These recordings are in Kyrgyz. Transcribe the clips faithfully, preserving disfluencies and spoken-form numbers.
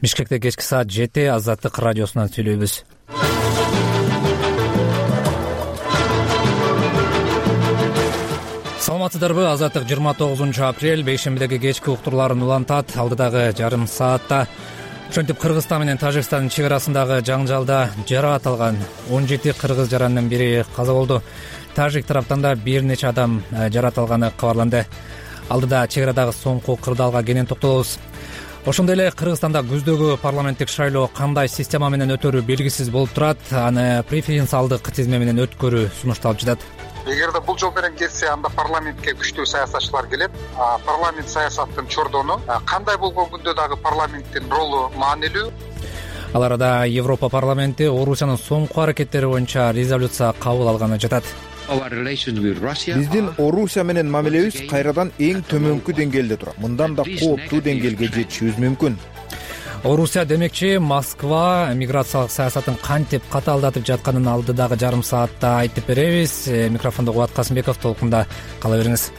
Бишкекте кечки саат жети Азаттык радиосунан сүйлөйбүз. Саламатсыздарбы? Азаттык жыйырма тогузунчу апрель бейшембидеги кечки уктурларын улантат. Алдыдагы жарым саатта ошентип Кыргызстан менен Тажикстандын чек арасындагы жаңжалда жаракат алган он жети кыргыз жаранынын бири каза болду. Тажик тараптан да бир нече адам жаракат алганы кабарланды. Алдыда чек арадагы соңку кырдаалга кенен токтолобуз. Ошондой эле Кыргызстанда күздөгү парламенттик шайлоо кандай система менен өтөрү белгисиз болуп турат. Аны преференциалдык тизме менен өткөрүү сунушталып жатат. Эгерде бул жол менен кетсе, анда парламентке күчтүү саясатчылар келет. Парламент саясаттын чордону кандай болгон күндө дагы парламенттин ролу маанилүү. Ал арада Европа парламенти Орусиянын соңку аракеттери боюнча резолюция кабыл алганы жатат. Биздин Орусия менен мамилебиз кайрадан эң төмөнкү деңгээлде турат. Мындан да кооптуу деңгээлге жетишибиз мүмкүн. Орусия демекчи Москва миграциялык саясатын кантип катаалдатып жатканын алдыдагы жарым саатта айтып беребиз. Микрофондо Кубат Касымбеков, толкунда кала бериңиз.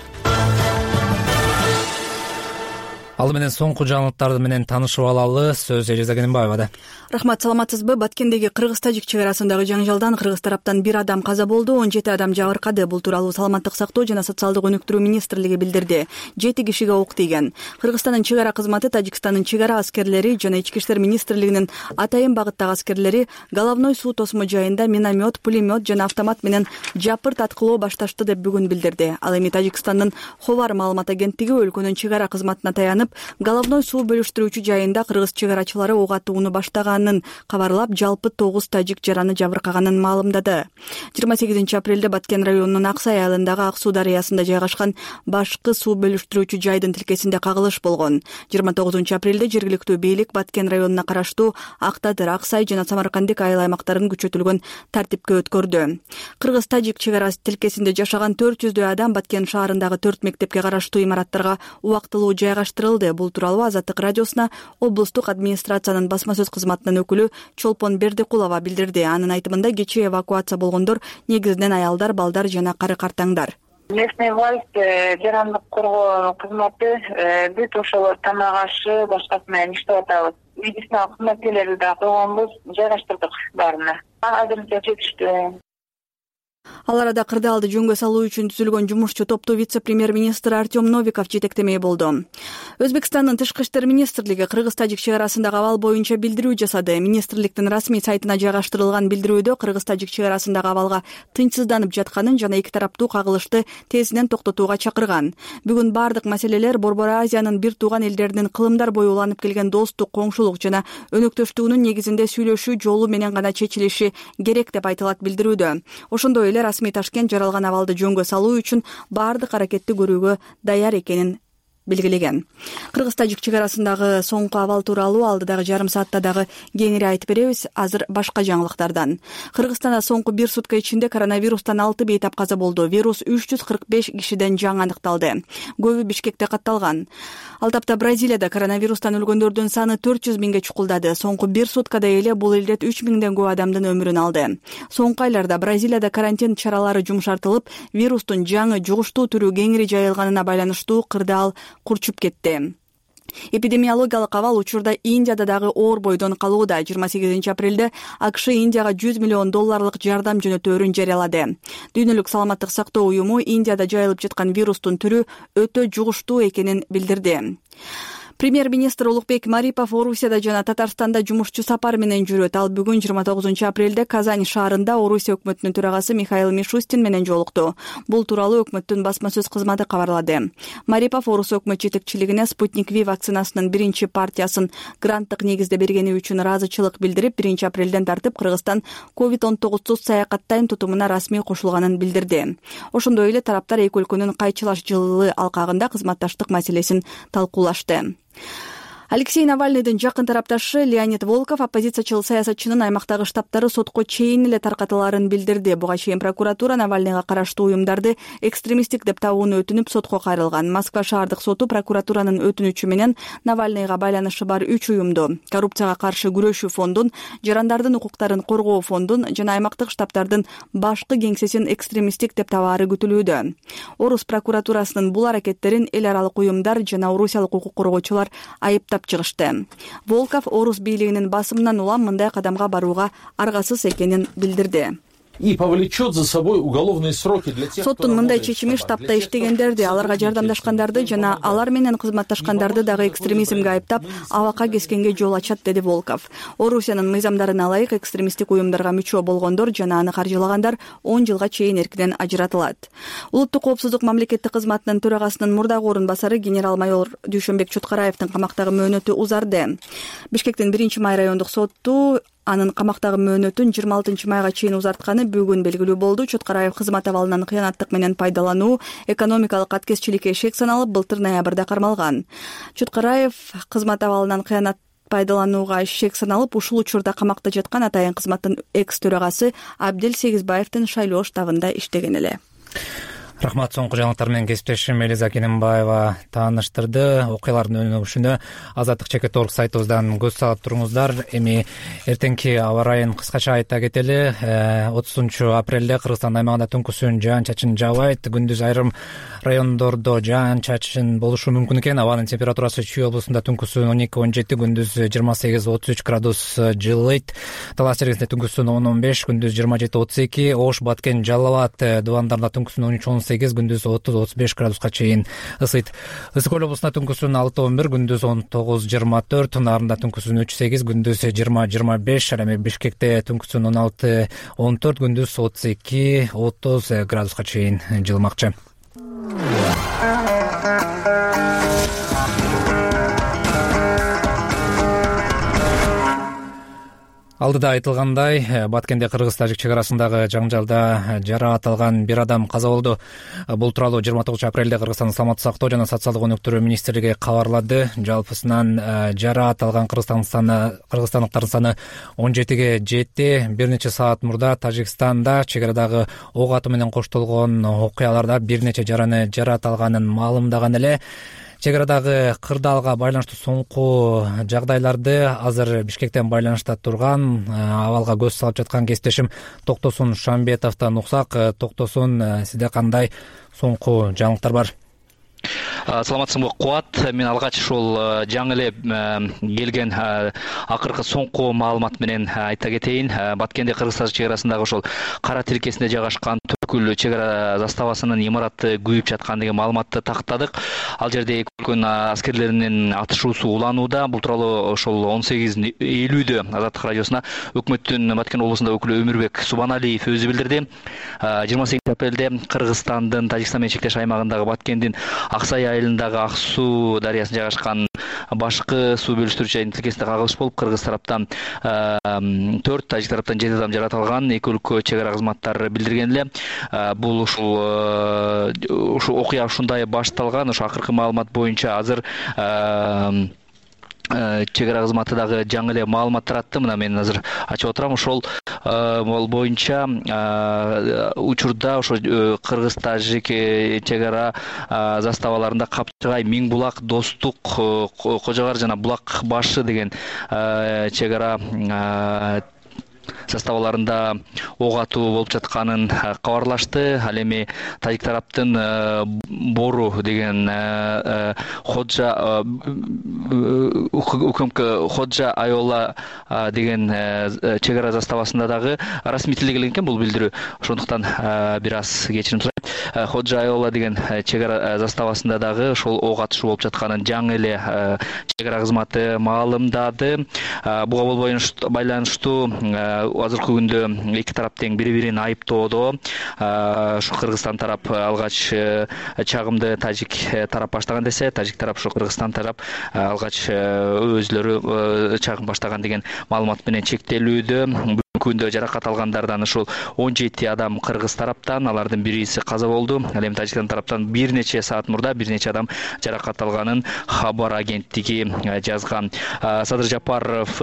Ал менен соңку жаңылыктар менен таанышып алалы. Сөз Эжеза Кененбаевада. Рахмат, саламатсызбы? Баткендеги Кыргыз-Тажик чек арасындагы жаңжалдан Кыргыз тараптан бир адам каза болду, он жети адам жабыркады. Бул тууралуу Саламаттык сактоо жана социалдык өнүктүрүү министрлиги билдирди. жети кишиге ок тийген. Кыргызстандын чек ара кызматы Тажикстандын чек ара аскерлери жана Ички иштер министрлигинин атайын багыттагы аскерлери головной суу тосмо жайында миномет, пулемет жана автомат менен жапырт аткылоо башташты деп бүгүн билдирди. Ал эми Тажикстандын Ховар маалымат агенттиги өлкөнүн чек ара кызматына таянып, головной суу бөлүштүрүүчү жайында кыргыз чек арачылары ок атууну баштаганын кабарлап, жалпы тогуз тажик жараны жабыркаганын маалымдады. жыйырма сегизинчи апрелде Баткен районунун Аксай айылындагы Ак суу дарыясында жайгашкан башкы суу бөлүштүрүүчү жайдын тилкесинде кагылыш болгон. жыйырма тогузунчу апрелде жергиликтүү бийлик Баткен районуна караштуу Ак Тадыр, Аксай жана Самаркандек айыл аймактарын күчөтүлгөн тартипке өткөрдү. Кыргыз-Тажик чек ара тилкесинде жашаган төрт жүздөй адам Баткен шаарындагы төрт мектепке караштуу имараттарга убактылуу жайгаштырылды. Бул тууралуу Азаттык радиосуна облустук администрациянын басма сөз кызматынын өкүлү Чолпон Бердикулова билдирди. Анын айтымында кечээ эвакуация болгондор негизинен аялдар, балдар жана кары картаңдар. Местный власть, жарандык коргоо кызматы бүт ошол тамак ашы башкасы менен иштеп атабыз. Медициналык кызматкерлерди да койгонбуз, жайгаштырдык баарына. Азырынча жетиштүү. Ал арада кырдаалды жөнгө салуу үчүн түзүлгөн жумушчу топту вице-премьер-министр Артем Новиков жетектемей болду. Өзбекстандын тышкы иштер министрлиги Кыргыз-Тажик чек арасындагы абал боюнча билдирүү жасады. Министрликтин расмий сайтына жайгаштырылган билдирүүдө Кыргыз-Тажик чек арасындагы абалга тынчсызданып жатканын жана эки тараптуу кагылышты тезинен токтотууга чакырган. Бүгүн бардык маселелер Борбор Азиянын бир тууган элдеринин кылымдар бою уланып келген достук, коңшулук жана өнөктөштүгүнүн негизинде сүйлөшүү жолу менен гана чечилиши керек деп айтылат билдирүүдө. Ошондой эле расмий Ташкент жаралган абалды жөнгө салуу үчүн бардык аракетти көрүүгө даяр экенин белгилеген. Кыргыз-Тажик чек арасындагы соңку абал тууралуу алдыдагы жарым саатта дагы кеңири айтып беребиз. Азыр башка жаңылыктардан. Кыргызстанда соңку бир сутка ичинде коронавирустан алты бейтап каза болду. Вирус үч жүз кырк беш кишиден жаңы аныкталды. Көбү Бишкекте катталган. Ал тапта Бразилияда коронавирустан өлгөндөрдүн саны төрт жүз миңге чукулдады. Соңку бир суткада эле бул илдет үч миңден көп адамдын өмүрүн алды. Соңку айларда Бразилияда карантин чаралары жумшартылып, вирустун жаңы жугуштуу түрү кеңири жайылганына байланыштуу кырдаал курчуп кетти. Эпидемиологиялык абал учурда Индияда дагы оор бойдон калууда. жыйырма сегизинчи апрелде АКШ Индияга жүз миллион долларлык жардам жөнөтөөрүн жарыялады. Дүйнөлүк саламаттык сактоо уюму Индияда жайылып жаткан вирустун түрү өтө жугуштуу экенин билдирди. Премьер-министр Улукбек Марипов Орусияда жана Татарстанда жумушчу сапар менен жүрөт. Ал бүгүн жыйырма тогузунчу апрелде Казань шаарында Орусия өкмөтүнүн төрагасы Михаил Мишустин менен жолукту. Бул тууралуу өкмөттүн басма сөз кызматы кабарлады. Марипов Орус өкмөт жетекчилигине Спутник Ви вакцинасынын биринчи партиясын гранттык негизде бергени үчүн ыраазычылык билдирип, биринчи апрелден тартып Кыргызстан ковид он тогузсуз саякаттайм тутумуна расмий кошулганын билдирди. Ошондой эле тараптар эки өлкөнүн кайчылаш жылы алкагында кызматташтык маселесин талкуулашты. Алексей Навальныйдын жакын тарапташы Леонид Волков оппозициячыл саясатчынын аймактагы штабтары сотко чейин эле таркатылаарын билдирди. Буга чейин прокуратура Навальныйга караштуу уюмдарды экстремисттик деп табууну өтүнүп сотко кайрылган. Москва шаардык соту прокуратуранын өтүнүчү менен Навальныйга байланышы бар үч уюмду, коррупцияга каршы күрөшүү фондун, жарандардын укуктарын коргоо фондун жана аймактык штабтардын башкы кеңсесин экстремисттик деп табаары күтүлүүдө. Орус прокуратурасынын бул аракеттерин эл аралык уюмдар жана орусиялык укук коргоочулар айыптап каттап чыгышты. Волков орус бийлигинин басымынан улам мындай кадамга барууга аргасыз экенин билдирди. И повлечет за собой уголовные сроки для тех, соттун мындай чечими штабта иштегендерди, аларга жардамдашкандарды жана алар менен кызматташкандарды дагы экстремизмге айыптап, абакка кескенге жол ачат, деди Волков. Орусиянын мыйзамдарына ылайык экстремисттик уюмдарга мүчө болгондор жана аны каржылагандар он жылга чейин эркинен ажыратылат. Улуттук коопсуздук мамлекеттик кызматынын төрагасынын мурдагы орун басары генерал-майор Дүйшөнбек Чоткараевдин камактагы мөөнөтү узарды. Бишкектин биринчи май райондук сотту анын камактагы мөөнөтүн жыйырма алтынчы майга чейин узартканы бүгүн белгилүү болду. Чоткараев кызмат абалынан кыянаттык менен пайдалануу, экономикалык аткезчиликке шек саналып, былтыр ноябрда кармалган. Чоткараев кызмат абалынан кыянат пайдаланууга шек саналып, ушул учурда камакта жаткан атайын кызматтын экс төрагасы Абдел Сегизбаевдин шайлоо штабында иштеген эле. Рахмат. Соңку жаңылыктар менен кесиптешим Элиза Кененбаева тааныштырды. Окуялардын өнүгүшүнө Азаттык чекит орг сайтыбыздан көз салып туруңуздар. Эми эртеңки аба ырайын кыскача айта кетели. отузунчу апрелде Кыргызстан аймагында түнкүсүн жаан-чачын жаабайт. Күндүз айрым райондордо жаан-чачын болушу мүмкүн экен. Абанын температурасы Чүй облусунда түнкүсүн он эки он жети, күндүз жыйырма сегиз отуз үч градус жылыйт. Талас Чергесинде түнкүсүн он он беш, күндүз жыйырма жети отуз эки, Ош, Баткен, Жалал абад дубандарында түнкүсүн он үч он сегиз, күндүз отуз отуз беш градуска чейин ысыйт. Ысык көл облусунда түнкүсүн алты он бир, күндүз он тогуз жыйырма төрт, Нарында түнкүсүн үч сегиз, күндүз жыйырма жыйырма беш, ал эми Бишкекте түнкүсүн он алты он төрт, күндүз отуз эки отуз градуска чейин жылымакчы. Алдыда айтылгандай, Баткенде кыргыз-тажик чек арасындагы жаңжалда жараат алган бир адам каза болду. Бул тууралуу жыйырма тогузунчу апрелде Кыргызстандын саламаттык сактоо жана социалдык өнүктүрүү министрлиги кабарлады. Жалпысынан жараат алган кыргызстандыктардын саны он жетиге жетти. Бир нече саат мурда Тажикстанда чек арадагы ок атуу менен коштолгон окуяларда бир нече жараны жараат алганын маалымдаган эле. Чек арадагы кырдаалга байланыштуу соңку жагдайларды азыр Бишкектен байланышта турган, абалга көз салып жаткан кесиптешим Токтосун Шамбетовдон уксак. Токтосун, сизде кандай соңку жаңылыктар бар? Саламатсызбы Кубат. Мен алгач ушул жаңы эле келген акыркы соңку маалымат менен айта кетейин. Баткенде Кыргыз-Тажик чек арасындагы ошол кара тилкесинде жайгашкан Төркүл чек ара заставасынын имараты күйүп жаткан деген маалыматты тактадык. Ал жерде эки өлкөнүн аскерлеринин атышуусу уланууда. Бул тууралуу ошол он сегиз элүүдө Азаттык радиосуна өкмөттүн Баткен облусунда өкүлү Өмүрбек Субаналиев өзү билдирди. жыйырма сегизинчи апрелде Кыргызстандын Тажикстан менен чектеш аймагындагы Баткендин Аксай айылындагы Ак суу дарыясында жайгашкан башкы суу бөлүштүрүүчү тилкесинде кагылыш болуп, кыргыз тараптан төрт, тажик тараптан жети адам жараат алган. Эки өлкө чек ара кызматтары билдирген эле. Бул ушул ушул окуя ушундай башталган. Ошо акыркы маалымат боюнча азыр чек ара кызматы дагы жаңы эле маалымат таратты. Мына мен азыр ачып отурам. Ошол боюнча учурда ошо кыргыз-тажик чек ара заставаларында Капчыгай, Миң булак, Достук, Кожогар жана Булак башы деген чек ара заставаларында ок атуу болуп жатканын кабарлашты. Ал эми тажик тараптын Бору деген Ходжа укмк Ходжа Айола деген чек ара заставасында дагы расмий тилде келген экен бул билдирүү. Ошондуктан бир аз кечирим сурайм. Ходжа Айола деген чек ара заставасында дагы ошол ок атышуу болуп жатканын жаңы эле чек ара кызматы маалымдады. Буга байланыштуу азыркы күндө эки тарап тең бири-бирин айыптоодо. Ушу Кыргызстан тарап алгач чагымды тажик тарап баштаган десе, тажик тарап ушу Кыргызстан тарап алгач өзлөрү чагым баштаган деген маалымат менен чектелүүдө. Күндө жаракат алгандардан ушул он жети адам кыргыз тараптан, алардын бириси каза болду. Ал эми Тажикстан тараптан бир нече саат мурда бир нече адам жаракат алганын Хабар агенттиги жазган. Садыр Жапаров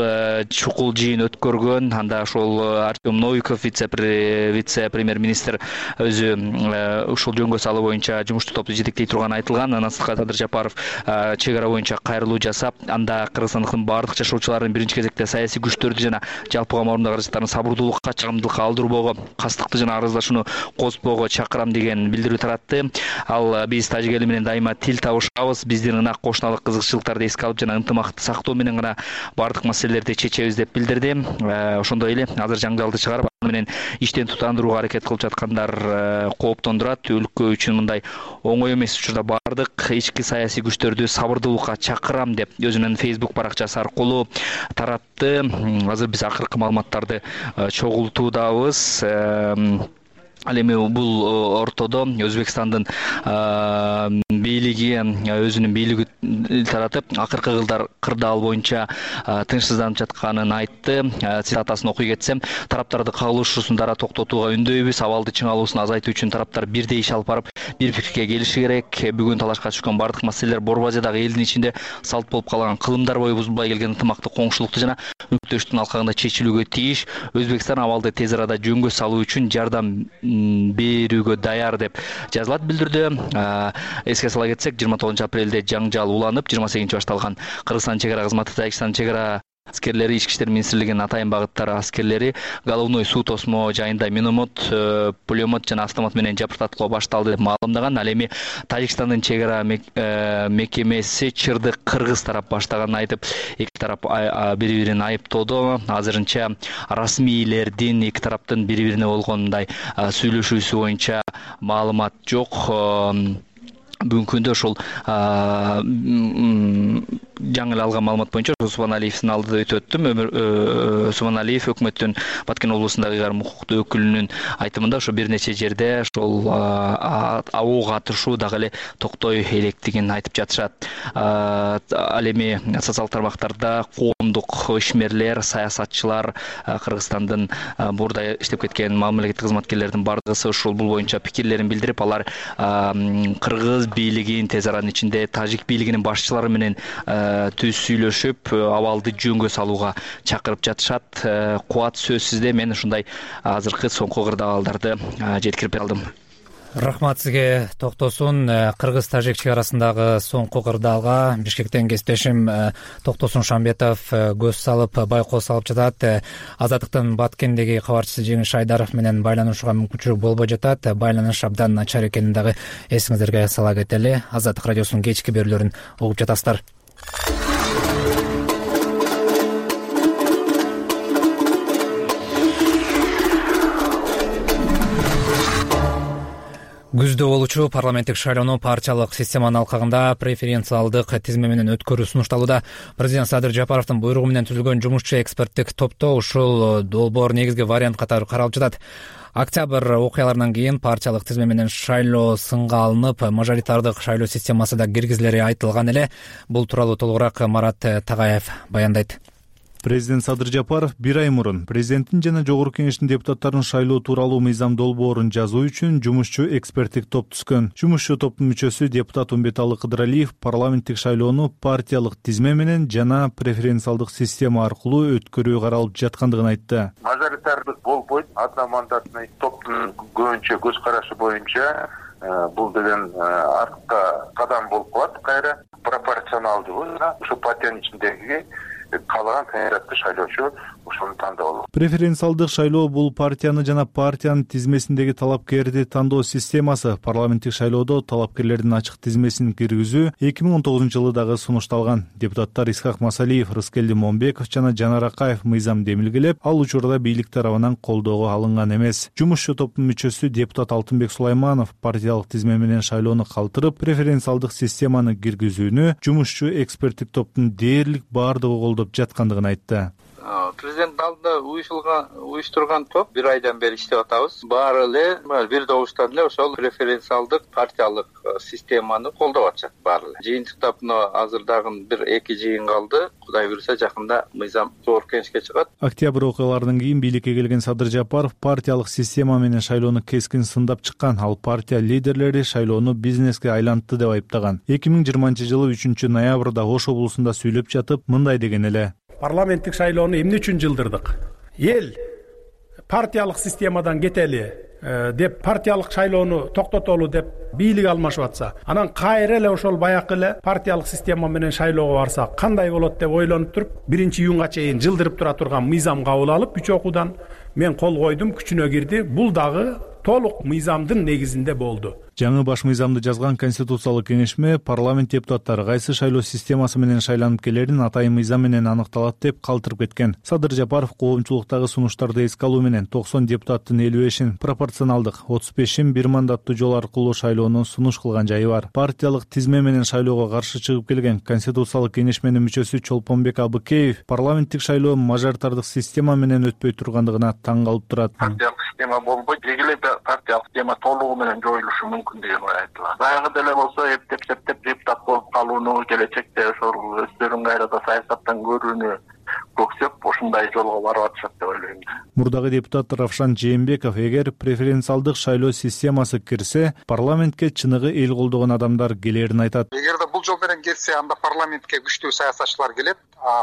чукул жыйын өткөргөн. Анда ошол Артем Новиков, вице-премьер-министр өзү ушул жөнгө салуу боюнча жумуштуу топту жетектей турганы айтылган. Анан Садыр Жапаров чек ара боюнча кайрылуу жасап, анда кыргызстандыктын баардык жашоочуларын биринчи кезекте саясий күчтөрдү жана жалпыга мамлекет окуяларды сабырдуулукка, чыдамдуулукка алдырбоого, кастыкты жана арыздашууну козутпоого чакырам деген билдирүү таратты. Ал биз тажик эли менен дайыма тил табышабыз, биздин ынак кошуналык кызыкчылыктарды эске алып жана ынтымакты сактоо менен гана бардык маселелерди чечебиз деп билдирди. Ошондой эле азыр жаңжалды чыгарып аны менен иштен тутандырууга аракет кылып жаткандар кооптондурат. Өлкө үчүн мындай оңой эмес учурда бардык ички саясий күчтөрдү сабырдуулукка чакырам деп өзүнүн Facebook баракчасы аркылуу таратты. Азыр биз акыркы маалыматтарды чогултуудабыз. Ал эми бул ортодо Өзбекстандын бийлиги өзүнүн бийлиги таратып акыркы кылдар кырдаал боюнча тынчсызданып жатканын айтты. Цитатасын окуй кетсем, тараптарды кагылышуусун дара токтотууга үндөйбүз. Абалды чыңалуусун азайтуу үчүн тараптар бирдей иш алып барып, бир пикирге келиши керек. Бүгүн талашка түшкөн бардык маселелер Борбазиядагы элдин ичинде салт болуп калган кылымдар бою бузулбай келген ынтымактык коңшулукту жана өнөктөштүктүн алкагында чечилүүгө тийиш. Өзбекстан абалды тез арада жөнгө салуу үчүн жардам берүүгө даяр деп жазылат билдирди. Эске сала кетсек, жыйырма тогузунчу апрелде жаңжал уланып, жыйырма сегизинчи башталган Кыргызстан чек ара кызматы, Тажикстан чек ара аскерлери, Ички иштер министрлигинин атайын багыттары аскерлери головной суу тосмо жайында миномет, пулемет жана автомат менен жапыртаткылоо башталды деп маалымдаган. Ал эми Тажикстандын чек ара мекемеси чырды кыргыз тарап баштаганын айтып, эки тарап бири-бирин айыптоодо. Азырынча расмийлердин эки тараптын бири-бирине болгон мындай сүйлөшүүсү боюнча маалымат жок. Бүгүнкү күндө ошол жаңы эле алган маалымат боюнча Субаналиевдин алдыда өтүп өттүм. Субаналиев өкмөттүн Баткен облусундагы ыйгарым укуктуу өкүлүнүн айтымында ошо бир нече жерде ошол ок атышуу дагы эле токтой электигин айтып жатышат. Ал эми социалдык тармактарда коомдук ишмерлер, саясатчылар, Кыргызстандын бурда иштеп кеткен мамлекеттик кызматкерлердин бардыгысы ушул бул боюнча пикирлерин билдирип, алар кыргыз бийлигин тез аранын ичинде тажик бийлигинин башчылары менен түз сүйлөшүп, абалды жөнгө салууга чакырып жатышат. Кубат сөзсүз мен ушундай азыркы соңку кырдаалдарды жеткирип алдым. Рахмат сизге, Токтосун. Кыргыз-тажик чек арасындагы соңку кырдаалга Бишкектен кесиптешим Токтосун Шамбетов көз салып, байкоо салып жатат. Азаттыктын Баткендеги кабарчысы Жеңиш Айдаров менен байланышууга мүмкүнчүлүк болбой жатат. Байланыш абдан начар экенин дагы эсиңиздерге сала кетели. Азаттык радиосунун кечки берүүлөрүн угуп жатасыздар. Күздө болуучу парламенттик шайлоону партиялык системанын алкагында преференциалдык тизме менен өткөрүү сунушталууда. Президент Садыр Жапаровдун буйругу менен түзүлгөн жумушчу эксперттик топто ушул долбоор негизги вариант катары каралып жатат. Октябрь окуяларынан кийин партиялык тизме менен шайлоо сынга алынып, мажоритардык шайлоо системасы да киргизилери айтылган эле. Бул тууралуу толугураак Марат Тагаев баяндайт. Президент Садыр Жапаров бир ай мурун президенттин жана жогорку кеңештин депутаттарын шайлоо тууралуу мыйзам долбоорун жазуу үчүн жумушчу эксперттик топ түзгөн. Жумушчу топтун мүчөсү депутат Умбеталы Кыдыралиев парламенттик шайлоону партиялык тизме менен жана преференциалдык система аркылуу өткөрүү каралып жаткандыгын айтты. Мажоритардык болбойт, одномандатный топтун көбүнчө көз карашы боюнча бул деген артка кадам болуп калат. Кайра пропорционалдуу ушу партиянын ичиндеги каалаган кандидатты шайлоочу ошону тандоо болот. Преференциалдык шайлоо бул партияны жана партиянын тизмесиндеги талапкерди тандоо системасы. Парламенттик шайлоодо талапкерлердин ачык тизмесин киргизүү эки миң он тогузунчу жылы дагы сунушталган. Депутаттар Исхак Масалиев, Рыскелди Момбеков жана Жанар Акаев мыйзам демилгелеп, ал учурда бийлик тарабынан колдоого алынган эмес. Жумушчу топтун мүчөсү депутат Алтынбек Сулайманов партиялык тизме менен шайлоону калтырып, преференциалдык системаны киргизүүнү жумушчу эксперттик топтун дээрлик баардыгы колдоп жаткандыгын айтты. Президент алдында уюштурган топ бир айдан бери иштеп атабыз. Баары эле бир добуштан эле ошол преференциалдык партиялык системаны колдоп атышат баары эле. Жыйынтыктап мына азыр дагы бир эки жыйын калды. Кудай буйруса жакында мыйзам жогорку кеңешке чыгат. Октябрь окуяларынан кийин бийликке келген Садыр Жапаров партиялык система менен шайлоону кескин сындап чыккан. Ал партия лидерлери шайлоону бизнеске айлантты деп айыптаган. эки миң жыйырманчы жылы үчүнчү ноябрда Ош облусунда сүйлөп жатып, мындай деген эле. Парламенттик шайлоону эмне үчүн жылдырдык? Эл партиялык системадан кетели, деп партиялык шайлоону токтотолу деп бийлик алмашып атса, анан кайра эле ошол баякы эле партиялык система менен шайлоого барса кандай болот деп ойлонуп туруп, биринчи июнга чейин жылдырып тура турган мыйзам кабыл алып, үч окуудан мен кол койдум, күчүнө кирди. Бул дагы толук мыйзамдын негизинде болду. Жаңы баш мыйзамды жазган Конституциялык кеңешме парламент депутаттары кайсы шайлоо системасы менен шайланып келерин атайын мыйзам менен аныкталат деп калтырып кеткен. Садыр Жапаров коомчулуктагы сунуштарды эске алуу менен токсон депутаттын элүү бешин пропорционалдык, отуз бешин бир мандаттуу жол аркылуу шайлоону сунуш кылган жайы бар. Партиялык тизме менен шайлоого каршы чыгып келген Конституциялык кеңешменин мүчөсү Чолпонбек Абыкеев парламенттик шайлоо мажоритардык система менен өтпөй тургандыгына таң калып турат. Партиялык система болбойт, эле партиялык система толугу менен жоюлушу мүмкүн деген ой айтылат. Баягы деле болсо эптеп септеп депутат болуп калууну, келечекте ошол өздөрүн кайрада саясаттан көрүүнү көксөп ушундай жолго барып атышат деп ойлойм. Мурдагы депутат Равшан Жээнбеков эгер преференциалдык шайлоо системасы кирсе, парламентке чыныгы эл колдогон адамдар келерин айтат. Эгерде бул жол менен келсе, анда парламентке күчтүү саясатчылар келет.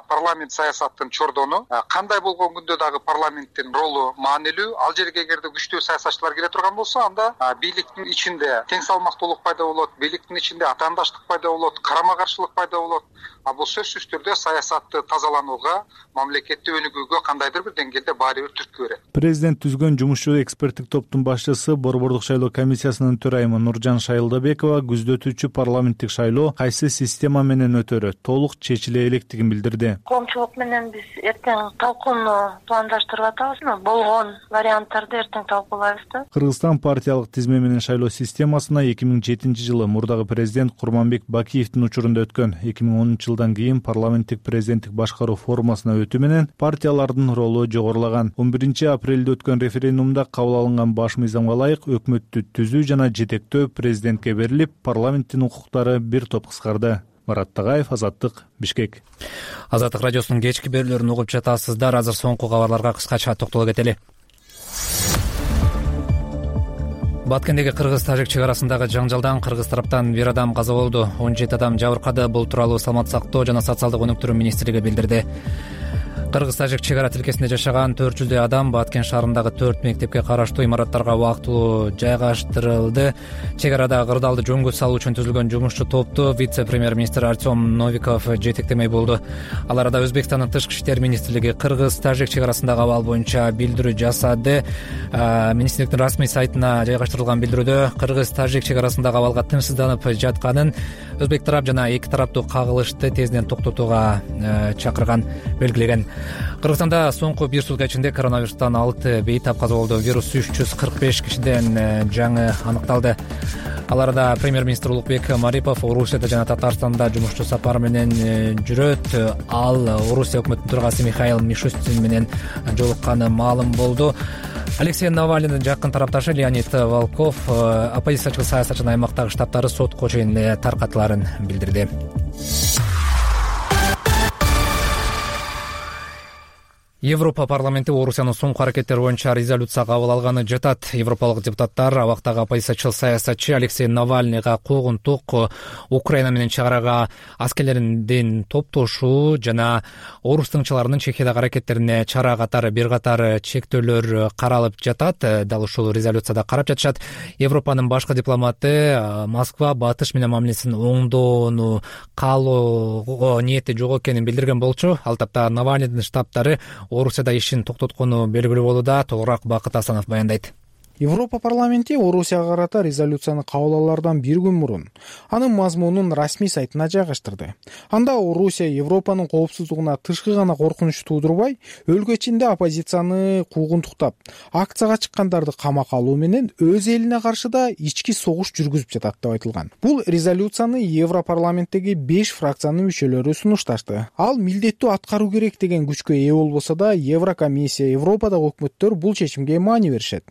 Парламент саясаттын чордону, кандай болгон күндө дагы парламенттин ролу маанилүү. Ал жерге эгерде күчтүү саясатчылар келе турган болсо, анда бийликтин ичинде тең салмактуулук пайда болот, бийликтин ичинде атаандаштык пайда болот, карама каршылык пайда болот. А бул сөзсүз түрдө саясатты тазаланууга, мамлекетти өнүгүүгө кандайдыр бир деңгээлде баары бир түрткү берет. Президент түзгөн жумушчу эксперттик топтун башчысы, Борбордук шайлоо комиссиясынын төрайымы Нуржан Шайылдабекова күздөтүүчү парламенттик шайлоо кайсы система менен өтөрү толук чечиле электигин билдирди. Коомчулук менен биз эртең талкууну пландаштырып атабызбы? Болгон варианттарды эртең талкуулайбыз. Кыргызстан партиялык тизме менен шайлоо системасына эки миң жетинчи жылы мурдагы президент Курманбек Бакиевдин учурунда өткөн эки миң онунчу жылдан кийин парламенттик президенттик башкаруу формасына өтүү менен партиялардын ролу жогорулаган. он биринчи апрелде өткөн референдумда кабыл алынган баш мыйзамга ылайык өкмөттү түзүү жана жетектөө президентке берилип, парламенттин укуктары бир топ кыскарды. Марат Тагаев, Азаттык, Бишкек. Азаттык радиосунун кечки берүүлөрүн угуп жатасыздар. Азыр соңку кабарларга кыскача токтоло кетели. Баткендеги кыргыз-тажик чек арасындагы жаңжалдан кыргыз тараптан бир адам каза болду, он жети адам жабыркады. Бул тууралуу Саламаттык сактоо жана социалдык өнүктүрүү министрлиги билдирди. Кыргыз-тажик чек ара тилкесинде жашаган төрт жүздөй адам Баткен шаарындагы төрт мектепке караштуу имараттарга убактылуу жайгаштырылды. Чек арада кырдаалды жөнгө салуу үчүн түзүлгөн жумушчу топту вице-премьер-министр Артем Новиков жетектемей болду. Ал арада Өзбекстандын тышкы иштер министрлиги кыргыз-тажик чек арасындагы абал боюнча билдирүү жасады. Министрликтин расмий сайтына жайгаштырылган билдирүүдө кыргыз-тажик чек арасындагы абалга тынчсызданып жатканын, өзбек тарап жана эки тараптуу кагылышты тезинен токтотууга чакырган белгилеген. Кыргызстанда соңку бир сутка ичинде коронавирустан алты бейтап каза болду. Вирус үч жүз кырк беш кишиден жаңы аныкталды. Ал арада премьер-министр Улукбек Марипов Орусияда жана Татарстанда жумушчу сапар менен жүрөт. Ал Орусия өкмөтүнүн төрагасы Михаил Мишустин менен жолукканы маалым болду. Алексей Навальныйдын жакын тарапташы Леонид Волков оппозициячы саясатчынын аймактагы штабтары сотко чейин таркатыларын билдирди. Европа парламенти Орусиянын соңку аракеттери боюнча резолюция кабыл алганы жатат. Европалык депутаттар абактагы оппозициячыл саясатчы Алексей Навальныйга куугунтук, Украина менен чек арага аскерлердин топтошуу жана орус тыңчыларынын Чехиядагы аракеттерине чара катары бир катар чектөөлөр каралып жатат. Дал ушул резолюцияда карап жатышат. Европанын башкы дипломаты Москва батыш менен мамилесин оңдоону каалоого ниети жок экенин билдирген болчу. Ал тапта Навальныйдын штабтары Орусияда ишин токтоткону белгилүү болууда. Толугураак Бакыт Асанов баяндайт. Европа парламенти Орусияга карата резолюцияны кабыл алаардан бир күн мурун анын мазмунун расмий сайтына жайгаштырды. Анда Орусия Европанын коопсуздугуна тышкы гана коркунуч туудурбай, өлкө ичинде оппозицияны куугунтуктап, акцияга чыккандарды камакка алуу менен өз элине каршы да ички согуш жүргүзүп жатат деп айтылган. Бул резолюцияны Европарламенттеги беш фракциянын мүчөлөрү сунушташты. Ал милдеттүү аткаруу керек деген күчкө ээ болбосо да, Еврокомиссия, Европадагы өкмөттөр бул чечимге маани беришет.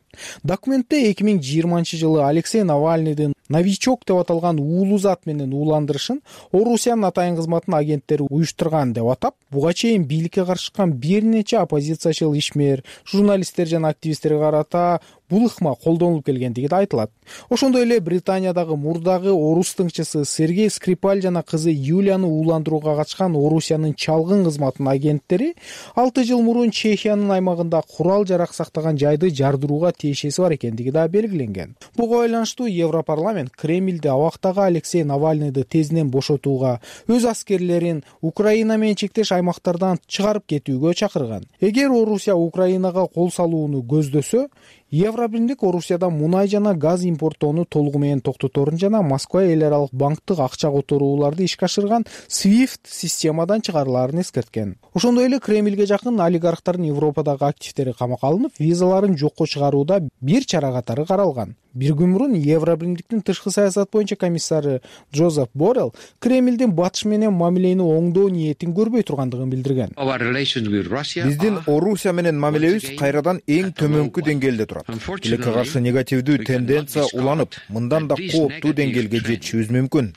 Документте эки миң жыйырманчы жылы Алексей Навальныйдын новичок деп аталган уулуу зат менен ууландырышын Орусиянын атайын кызматынын агенттери уюштурган деп атап, буга чейин бийликке каршы чыккан бир нече оппозициячыл ишмер, журналисттер жана активисттерге карата бул ыкма колдонулуп келгендиги да айтылат. Ошондой эле Британиядагы мурдагы орус тыңчысы Сергей Скрипаль жана кызы Юлияны ууландырууга катышкан Орусиянын чалгын кызматынын агенттери алты жыл мурун Чехиянын аймагында курал жарак сактаган жайды жардырууга тиешеси бар экендиги да белгиленген. Буга байланыштуу Европарламент Кремльде абактагы Алексей Навальныйды тезинен бошотууга, өз аскерлерин Украина менен чектеш аймактардан чыгарып кетүүгө чакырган. Эгер Орусия Украинага кол салууну көздөсө, Евробирлик Орусиядан мунай жана газ импорттоону толугу менен токтоторун жана Москва эл аралык банктык акча которууларды ишке ашырган свифт системадан чыгарылаарын эскерткен. Ошондой эле Кремльге жакын олигархтардын Европадагы активдери камакка алынып, визаларын жокко чыгарууда бир чара катары каралган. Бир күн мурун Евробирликтин тышкы саясат боюнча комиссары Джозеф Боррелл Кремльдин батыш менен мамилени оңдоо ниетин көрбөй тургандыгын билдирген. Биздин Орусия менен мамилебиз кайрадан эң төмөнкү деңгээлде турат. Тилекке каршы негативдүү тенденция уланып, мындан да кооптуу деңгээлге жетишибиз мүмкүн.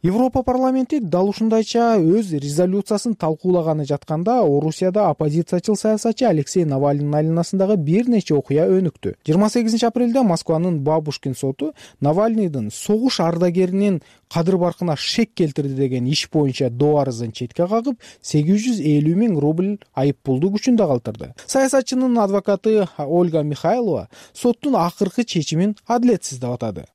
Европа парламенти дал ушундайча өз резолюциясын талкуулаганы жатканда, Орусияда оппозициячыл саясатчы Алексей Навальныйдын айланасындагы бир нече окуя өнүктү. жыйырма сегизинчи апрелде Москванын Бабушкин соту Навальныйдын согуш ардагеринин кадыр баркына шек келтирди деген иш боюнча доо арызын четке кагып, сегиз жүз элүү миң рубль айып пулду күчүндө калтырды. Саясатчынын адвокаты Ольга Михайлова соттун акыркы чечимин адилетсиз деп атады.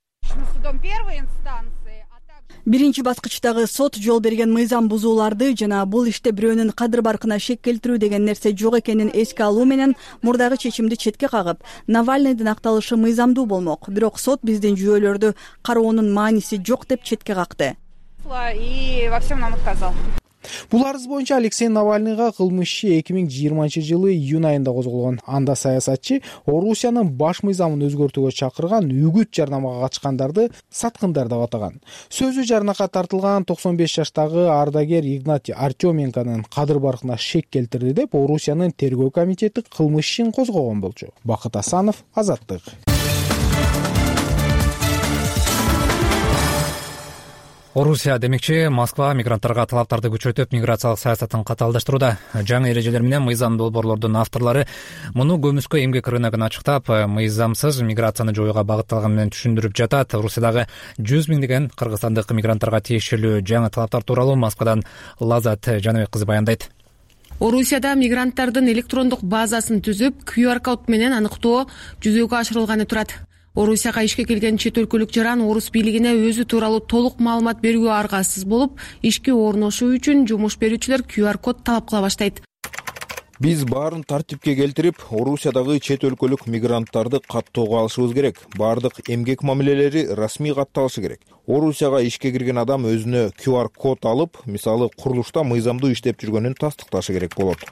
Биринчи баскычтагы сот жол берген мыйзам бузууларды жана бул иште бирөөнүн кадыр баркына шек келтирүү деген нерсе жок экенин эске алуу менен мурдагы чечимди четке кагып, Навальныйдын акталышы мыйзамдуу болмок. Бирок сот биздин жүйөлөрдү кароонун мааниси жок деп четке какты. И во всем нам отказал. Бул арыз боюнча Алексей Навальныйга кылмыш иши эки миң жыйырманчы жылы июнь айында козголгон. Анда саясатчы Орусиянын баш мыйзамын өзгөртүүгө чакырган үгүт жарнамага катышкандарды саткындар деп атаган. Сөзү жарнакка тартылган токсон беш жаштагы ардагер Игнатий Артеменконун кадыр баркына шек келтирди деп Орусиянын тергөө комитети кылмыш ишин козгогон болчу. Бакыт Асанов, Азаттык. Орусия демекчи Москва мигранттарга талаптарды күчөтүп, миграциялык саясатын катаалдаштырууда. Жаңы эрежелер менен мыйзам долбоорлордун авторлору муну көмүскө эмгек рыногун ачыктап, мыйзамсыз миграцияны жоюуга багытталган менен түшүндүрүп жатат. Орусиядагы жүз миңдеген кыргызстандык мигранттарга тиешелүү жаңы талаптар тууралуу Москвадан Лазат Жаныбек кызы баяндайт. Орусияда мигранттардын электрондук базасын түзүп, ку ар код менен аныктоо жүзөгө ашырылганы турат. Орусияга ишке келген чет өлкөлүк жаран орус бийлигине өзү тууралуу толук маалымат берүүгө аргасыз болуп, ишке орношуу үчүн жумуш берүүчүлөр ку ар код талап кыла баштайт. Биз баарын тартипке келтирип, Орусиядагы чет өлкөлүк мигранттарды каттоого алышыбыз керек. Баардык эмгек мамилелери расмий катталышы керек. Орусияга ишке кирген адам өзүнө ку ар код алып, мисалы курулушта мыйзамдуу иштеп жүргөнүн тастыкташы керек болот.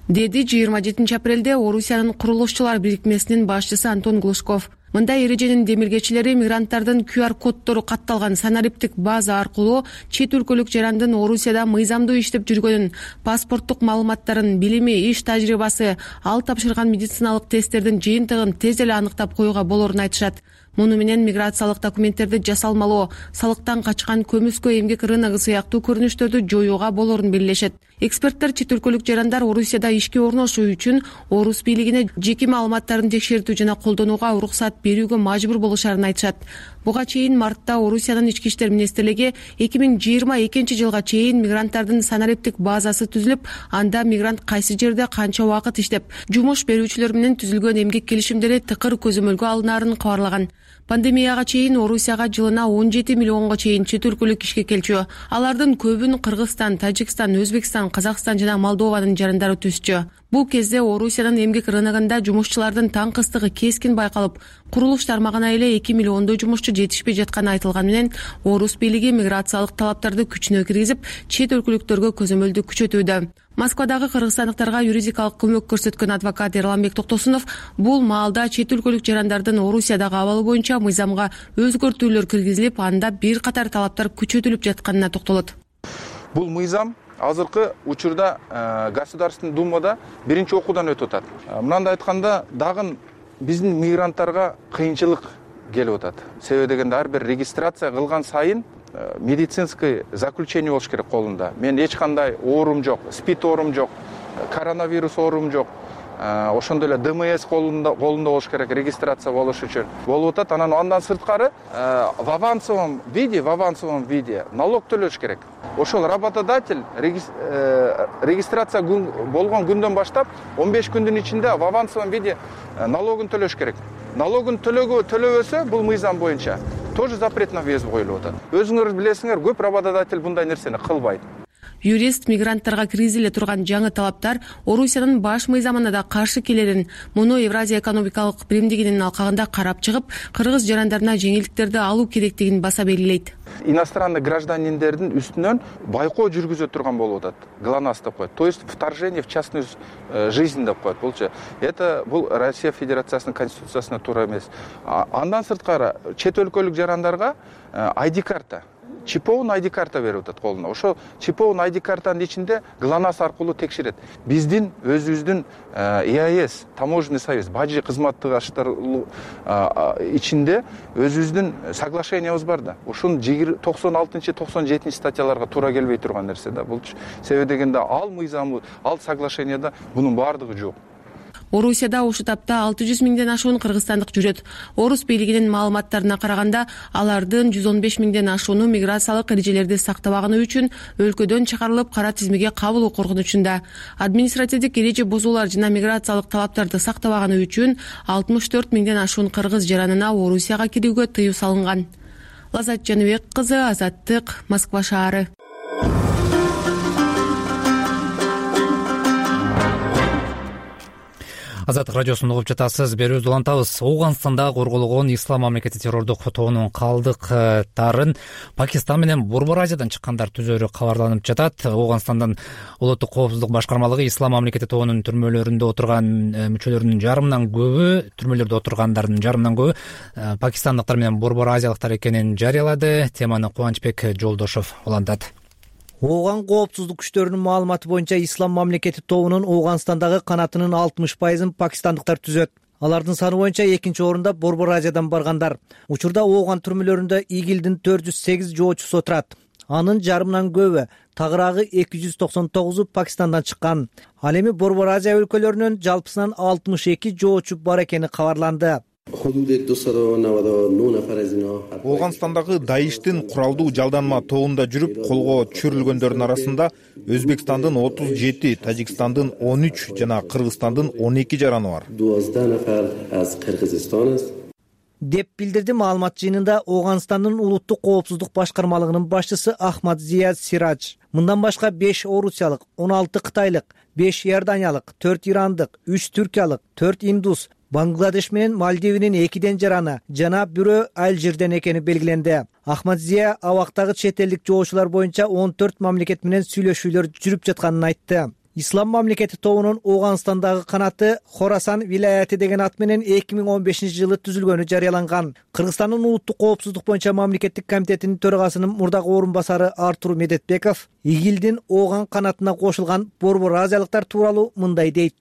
Деди жыйырма жетинчи апрелде Орусиянын курулушчулар бирикмесинин башчысы Антон Глушков. Мындай эреженин демилгечилери мигранттардын ку ар коддору катталган санариптик база аркылуу чет өлкөлүк жарандын Орусияда мыйзамдуу иштеп жүргөнүн, паспорттук маалыматтарын, билими, иш тажрыйбасы, ал тапшырган медициналык тесттердин жыйынтыгын тез эле аныктап коюуга болорун айтышат. Муну менен миграциялык документтерди жасалмалоо, салыктан качкан көмүскө эмгек рыногу сыяктуу көрүнүштөрдү жоюуга болорун белгилешет. Эксперттер чет өлкөлүк жарандар Орусияда ишке орношуу үчүн орус бийлигине жеке маалыматтарын текшертүү жана колдонууга уруксат берүүгө мажбур болушарын айтышат. Буга чейин мартта Орусиянын ички иштер министрлиги эки миң жыйырма экинчи жылга чейин мигранттардын санариптик базасы түзүлүп, анда мигрант кайсы жерде канча убакыт иштеп, жумуш берүүчүлөр менен түзүлгөн эмгек келишимдери тыкыр көзөмөлгө алынаарын кабарлаган. Пандемияга чейин Орусияга жылына он жети миллионго чейин чет өлкөлүк ишке келчү. Алардын көбүн Кыргызстан, Тажикстан, Өзбекстан, Казакстан жана Молдованын жарандары түзчү. Бул кезде Орусиянын эмгек рыногунда жумушчулардын таңкыстыгы кескин байкалып, курулуш тармагына эле эки миллиондой жумушчу жетишпей жатканы айтылган менен орус бийлиги миграциялык талаптарды күчүнө киргизип, чет өлкөлүктөргө көзөмөлдү күчөтүүдө. Москвадагы кыргызстандыктарга юридикалык көмөк көрсөткөн адвокат Эрламбек Токтосунов бул маалда чет өлкөлүк жарандардын Орусиядагы абалы боюнча мыйзамга өзгөртүүлөр киргизилип, анда бир катар талаптар күчөтүлүп жатканына токтолот. Бул мыйзам азыркы учурда Государственный думада биринчи окуудан өтүп атат. Мындай айтканда, дагы биздин мигранттарга кыйынчылык келип атат. Себеби дегенде ар бир регистрация кылган сайын медицинский заключение болуш керек колунда. Мен эч кандай оорум жок, спид оорум жок, коронавирус оорум жок. Ошондой эле ДМС колунда колунда болуш керек регистрация болуш үчүн. Болуп атат. Анан андан сырткары в авансовом виде, в авансовом виде налог төлөш керек. Ошол работодатель регистрация болгон күндөн баштап он беш күндүн ичинде в авансовом виде налогун төлөш керек. Налогун төлөбөсө бул мыйзам боюнча тоже запрет на въезд коюлуп атат. Өзүңөр билесиңер, көп работодатель мындай нерсени кылбайт. Юрист мигранттарга киргизиле турган жаңы талаптар Орусиянын баш мыйзамына да каршы келерин, муну Евразия экономикалык биримдигинин алкагында карап чыгып, кыргыз жарандарына жеңилдиктерди алуу керектигин баса белгилейт. Иностранный гражданиндердин үстүнөн байкоо жүргүзө турган болуп атат. ГЛОНАСС деп коет. То есть вторжение в частную жизнь деп коет. Булчу это бул Россия Федерациясынын конституциясына туура эмес. Андан сырткары чет өлкөлүк жарандарга ай ди карта, чиповун ай ди карта берип атат колуна. Ошо чиповун ай ди картанын ичинде ГЛОНАСС аркылуу текшерет. Биздин өзүбүздүн и а эс, таможенный союз, бажы кызматташтар ичинде өзүбүздүн соглашениябыз бар да. Ушун токсон алтынчы токсон жетинчи статьяларга туура келбей турган нерсе да. Бул себеби дегенде ал мыйзамы, ал соглашенияда бунун баардыгы жок. Орусияда ушу тапта алты жүз миңден ашуун кыргызстандык жүрөт. Орус бийлигинин маалыматтарына караганда, алардын жүз он беш миңден ашууну миграциялык эрежелерди сактабаганы үчүн өлкөдөн чыгарылып, кара тизмеге кабылуу коркунучунда. Административдик эреже бузуулар жана миграциялык талаптарды сактабаганы үчүн алтымыш төрт миңден ашуун кыргыз жаранына Орусияга кирүүгө тыюу салынган. Лазат Жаныбек кызы, Азаттык, Москва шаары. Азаттык радиосун угуп жатасыз. Берүүбүздү улантабыз. Ооганстанда корголгон Ислам мамлекети террордук тобунун калдыктарын Пакистан менен Борбор Азиядан чыккандар түзөрү кабарланып жатат. Ооганстандын улуттук коопсуздук башкармалыгы Ислам мамлекети тобунун түрмөлөрүндө отурган мүчөлөрүнүн жарымынан көбү, түрмөлөрдө отургандардын жарымынан көбү пакистандыктар менен Борбор Азиялыктар экенин жарыялады. Теманы Кубанычбек Жолдошов улантат. Ооган коопсуздук күчтөрүнүн маалыматы боюнча Ислам мамлекети тобунун Ооганстандагы канатынын алтымыш пайызын пакистандыктар түзөт. Алардын саны боюнча экинчи орунда Борбор Азиядан баргандар. Учурда Ооган түрмөлөрүндө ИГИЛдин төрт жүз сегиз жоочусу отурат. Анын жарымынан көбү, тагыраагы эки жүз токсон тогузу Пакистандан чыккан. Ал эми Борбор Азия өлкөлөрүнүн жалпысынан алтымыш эки жоочу бар экени кабарланды. Ооганстандагы Даиштин куралдуу жалданма тобунда жүрүп колго түшүрүлгөндөрдүн арасында Өзбекстандын отуз жети, Тажикстандын он үч жана Кыргызстандын он эки жараны бар. Деп билдирди маалымат жыйынында Ооганстандын улуттук коопсуздук башкармалыгынын башчысы Ахмад Зия Сирадж. Мындан башка беш орусиялык, он алты кытайлык, беш иорданиялык, төрт ирандык, үч түркиялык, төрт индус, Бангладеш менен Мальдивинин экиден жараны жана бирөө Алжирден экени белгиленди. Ахмад Зия абактагы чет элдик жоочулар боюнча он төрт мамлекет менен сүйлөшүүлөр жүрүп жатканын айтты. Ислам мамлекети тобунун Ооганстандагы канаты Хорасан вилаяты деген ат менен эки миң он бешинчи жылы түзүлгөнү жарыяланган. Кыргызстандын улуттук коопсуздук боюнча мамлекеттик комитетинин төрагасынын мурдагы орун басары Артур Медетбеков ИГИЛдин Ооган канатына кошулган Борбор Азиялыктар тууралуу мындай дейт.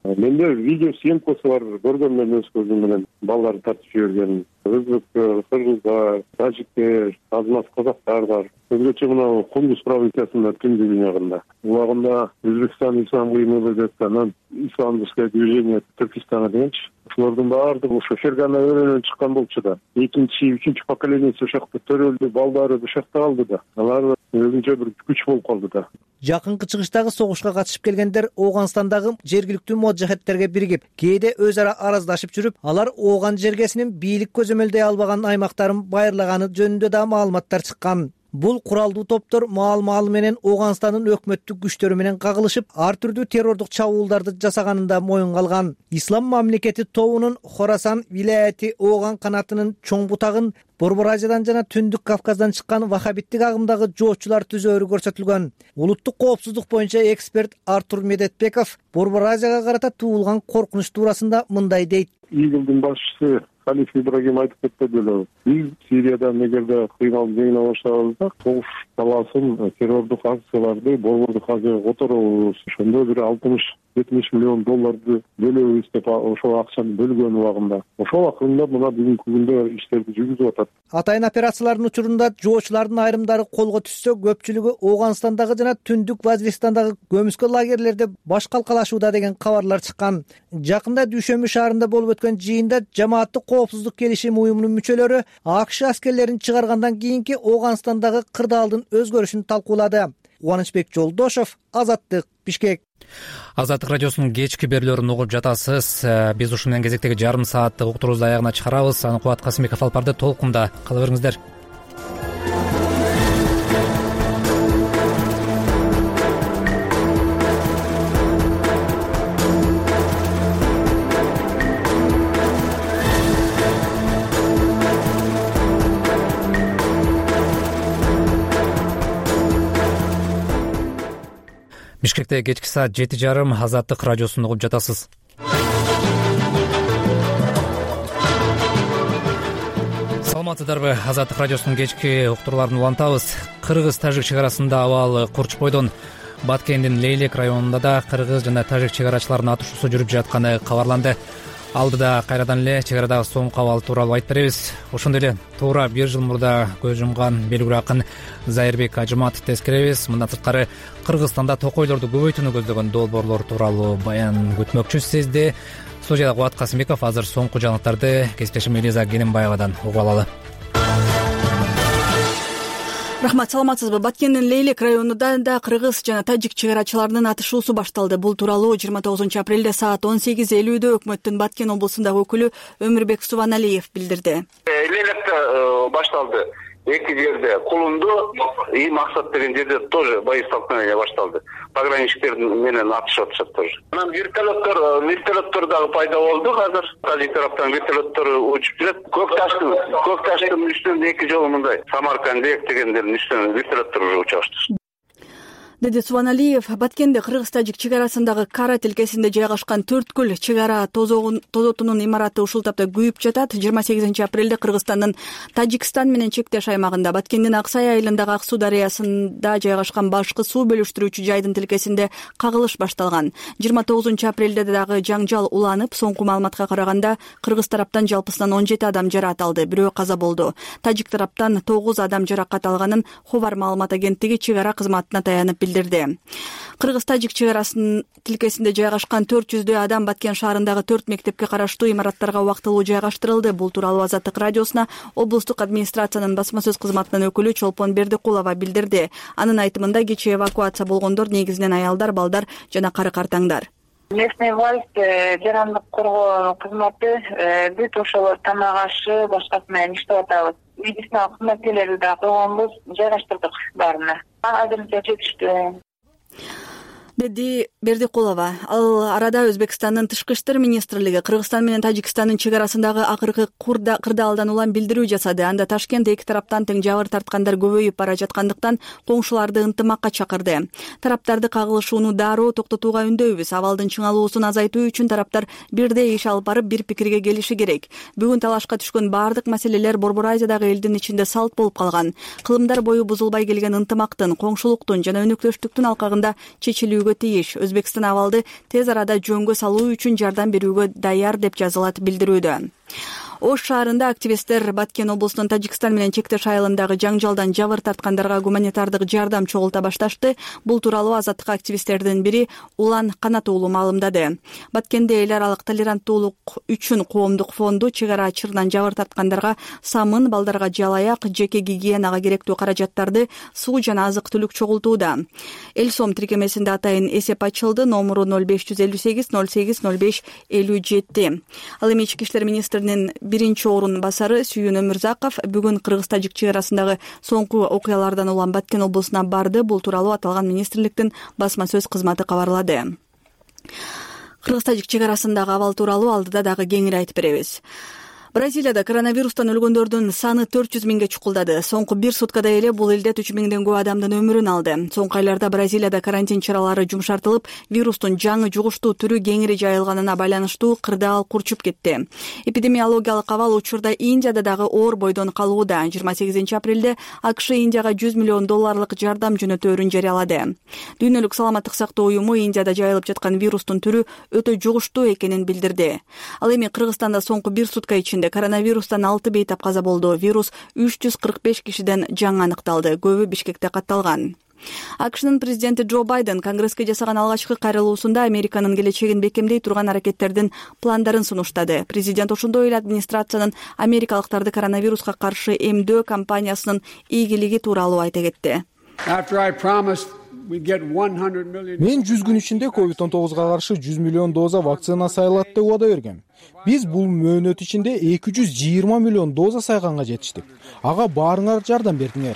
Менде видео съемкасы бар, көргөн мен өз көзүм менен балдарды тартып жиберген. Өзбектер, кыргыздар, тажиктер, азамат казактар бар. Өзгөчө мына Кундуз провинциясында түндүк ягында. Улагында Өзбекстан ислам кыймылы деп анан исламдык движение Түркистана дегенчи. Ошолордун баардыгы ошо Фергана өрөөнөн чыккан болчу да. Экинчи, үчүнчү поколениеси ошакта төрөлдү, балдары ошакта калды да. Алар өзүнчө бир күч болуп калды да. Жакынкы чыгыштагы согушка катышып келгендер Ооганстандагы жергиликтүү моджахеттерге биригип, кээде өз ара араздашып жүрүп, алар Ооган жергесинин бийлик көзөмөлдөй албаган аймактарын байырлаганы жөнүндө да маалыматтар чыккан. Бул куралдуу топтор маал-маалы менен Ооганстандын өкмөттүк күчтөрү менен кагылышып, ар түрдүү террордук чабуулдарды жасаганында моюнга алган. Ислам мамлекети тобунун Хорасан вилаяты Ооган канатынын чоң бутагын Борбор Азиядан жана Түндүк Кавказдан чыккан вахабиттик агымдагы жоочулар түзөөрү көрсөтүлгөн. Улуттук коопсуздук боюнча эксперт Артур Медетбеков Борбор Азияга карата туулган коркунуч туурасында мындай дейт. ИГИЛдин башчысы Халиф Ибрагим айтып кетти эле, биз Сириядан эгерде кыйналып жеңине баштаганда согуш талаасын, террордук акцияларды, борбордук акцияга которобуз, ошондо бир алтымыш жетимиш миллион долларды бөлөбүз деп ошол акчаны бөлгөн убагында. Ошол акырында мына бүгүнкү күндө иштерди жүргүзүп атат. Атайын операциялардын учурунда жоочулардын айрымдары колго түшсө, көпчүлүгү Ооганстандагы жана Түндүк Вазиристандагы көмүскө лагерлерде баш калкалашууда деген кабарлар чыккан. Жакында Дүйшөмбү шаарында болуп өткөн жыйында жамааттык коопсуздук келишим уюмунун мүчөлөрү АКШ аскерлерин чыгаргандан кийинки Ооганстандагы кырдаалдын өзгөрүшүн талкуулады. Кубанычбек Жолдошов, Азаттык, Бишкек. Азаттык радиосунун кечки берүүлөрүн угуп жатасыз. Биз ушун менен кезектеги жарым сааттык уктуруубузду аягына чыгарабыз. Аны Кубат Касымбеков алып барды. Толкунда кала бериңиздер. Бишкекте кечки саат жети жарым Азаттык радиосун угуп жатасыз. Саламатсыздарбы? Азаттык радиосунун кечки уктурууларын улантабыз. Кыргыз-тажик чек арасында абал курч бойдон Баткендин Лейлек районунда да кыргыз жана тажик чек арачыларынын атышуусу жүрүп жатканы кабарланды. Алдыда кайрадан эле чек арадагы соңку абал тууралуу айтып беребиз. Ошондой эле туура бир жыл мурда көз жумган белгилүү акын Зайырбек Ажыматовду тескеребиз. Мындан сырткары Кыргызстанда токойлорду көбөйтүүнү көздөгөн долбоорлор тууралуу баян күтмөкчүбүз сизди. Студияда Кубат Касымбеков. Азыр соңку жаңылыктарды кесиптешим Элиза Кененбаевадан угуп алалы. Рахмат, саламатсызбы? Баткендин Лейлек районунда да кыргыз жана тажик чек арачыларынын атышуусу башталды. Бул тууралуу жыйырма тогузунчу апрелде саат он сегиз элүүдө өкмөттүн Баткен облусундагы өкүлү Өмүрбек Субаналиев билдирди. Лейлекте башталды. Эки жерде Кулунду и Максат деген жерде тоже бои столкновения башталды. Пограничниктер менен атышып атышат тоже. Анан вертолеттор, вертолеттор дагы пайда болду азыр. Тажик тараптан вертолеттор учуп жүрөт. Көк таштын, көк таштын үстүндө эки жолу мындай Самаркандек дегендердин үстүнөн вертолеттор уже учуп атышты. Деди Субаналиев, Баткенде кыргыз-тажик чек арасындагы Кара тилкесинде жайгашкан Төрткүл чек ара тозотунун имараты ушул тапта күйүп жатат. жыйырма сегизинчи апрелде Кыргызстандын Тажикстан менен чектеш аймагында Баткендин Аксай айылындагы Ак суу дарыясында жайгашкан башкы суу бөлүштүрүүчү жайдын тилкесинде кагылыш башталган. жыйырма тогузунчу апрелде дагы жаңжал уланып, соңку маалыматка караганда кыргыз тараптан жалпысынан он жети адам жараат алды, бирөө каза болду. Тажик тараптан тогуз адам жаракат алганын Ховар маалымат агенттиги чек ара кызматына таянып билдирди. Кыргыз-тажик чек арасынын тилкесинде жайгашкан төрт жүздөй адам Баткен шаарындагы төрт мектепке караштуу имараттарга убактылуу жайгаштырылды. Бул тууралуу Азаттык радиосуна облустук администрациянын басма сөз кызматынын өкүлү Чолпон Бердикулова билдирди. Анын айтымында кечээ эвакуация болгондор негизинен аялдар, балдар жана кары картаңдар. Местный власть, жарандык коргоо кызматы бүт ошол тамак ашы башкасы менен иштеп атабыз. Медициналык кызматкерлерди да койгонбуз, жайгаштырдык баарына. Азырынча жетиштүү. Деди Бердикулова. Ал арада Өзбекстандын тышкы иштер министрлиги Кыргызстан менен Тажикстандын чек арасындагы акыркы кырдаалдан улам билдирүү жасады. Анда Ташкент эки тараптан тең жабыр тарткандар көбөйүп бара жаткандыктан коңшуларды ынтымакка чакырды. Тараптарды кагылышууну дароо токтотууга үндөйбүз. Абалдын чыңалуусун азайтуу үчүн тараптар бирдей иш алып барып бир пикирге келиши керек. Бүгүн талашка түшкөн бардык маселелер Борбор Азиядагы элдин ичинде салт болуп калган. Кылымдар бою бузулбай келген ынтымактын, коңшулуктун жана өнөктөштүктүн алкагында чечилүүгө тийиш. Өзбекстан абалды тез арада жөнгө салуу үчүн жардам берүүгө даяр деп жазылат билдирүүдө. Ош шаарында активисттер Баткен облусунун Тажикстан менен чектеш айылындагы жаңжалдан жабыр тарткандарга гуманитардык жардам чогулта башташты. Бул тууралуу азаттык активисттердин бири Улан Канат уулу маалымдады. Баткенде эл аралык толеранттуулук үчүн коомдук фонду чек ара ачырынан жабыр тарткандарга самын, балдарга жалаяк, жеке гигиенага керектүү каражаттарды, суу жана азык-түлүк чогултууда. Эл сом тиркемесинде атайын эсеп ачылды. Номуру ноль беш жүз элүү сегиз ноль сегиз ноль беш элүү жети. Ал эми ички иштер министринин биринчи орун басары Сүйүн Өмүрзаков бүгүн кыргыз-тажик чек арасындагы соңку окуялардан улам Баткен облусуна барды. Бул тууралуу аталган министрликтин басма сөз кызматы кабарлады. Кыргыз-тажик чек арасындагы абал тууралуу алдыда дагы кеңири айтып беребиз. Бразилияда коронавирустан өлгөндөрдүн саны төрт жүз миңге чукулдады. Соңку бир суткада эле бул элдет үч миңден көп адамдын өмүрүн алды. Соңку айларда Бразилияда карантин чаралары жумшартылып, вирустун жаңы жугуштуу түрү кеңири жайылганына байланыштуу кырдаал курчуп кетти. Эпидемиологиялык абал учурда Индияда дагы оор бойдон калууда. жыйырма сегизинчи апрелде АКШ Индияга жүз миллион долларлык жардам жөнөтөөрүн жарыялады. Дүйнөлүк саламаттык сактоо уюму Индияда жайылып жаткан вирустун түрү өтө жугуштуу экенин билдирди. Ал эми Кыргызстанда соңку бир сутка ичинде коронавирустан алты бейтап каза болду. Вирус үч жүз кырк беш кишиден жаңы аныкталды. Көбү Бишкекте катталган. АКШнын президенти Джо Байден Конгресске жасаган алгачкы кайрылуусунда Американын келечегин бекемдей турган аракеттердин пландарын сунуштады. Президент ошондой эле администрациянын америкалыктарды коронавируска каршы эмдөө кампаниясынын ийгилиги тууралуу айта кетти. Мен жүз күн ичинде ковид он тогузга каршы жүз миллион доза вакцина сайылат деп убада бергем. Биз бул мөөнөт ичинде эки жүз жыйырма миллион доза сайганга жетиштик. Ага баарыңар жардам бердиңер.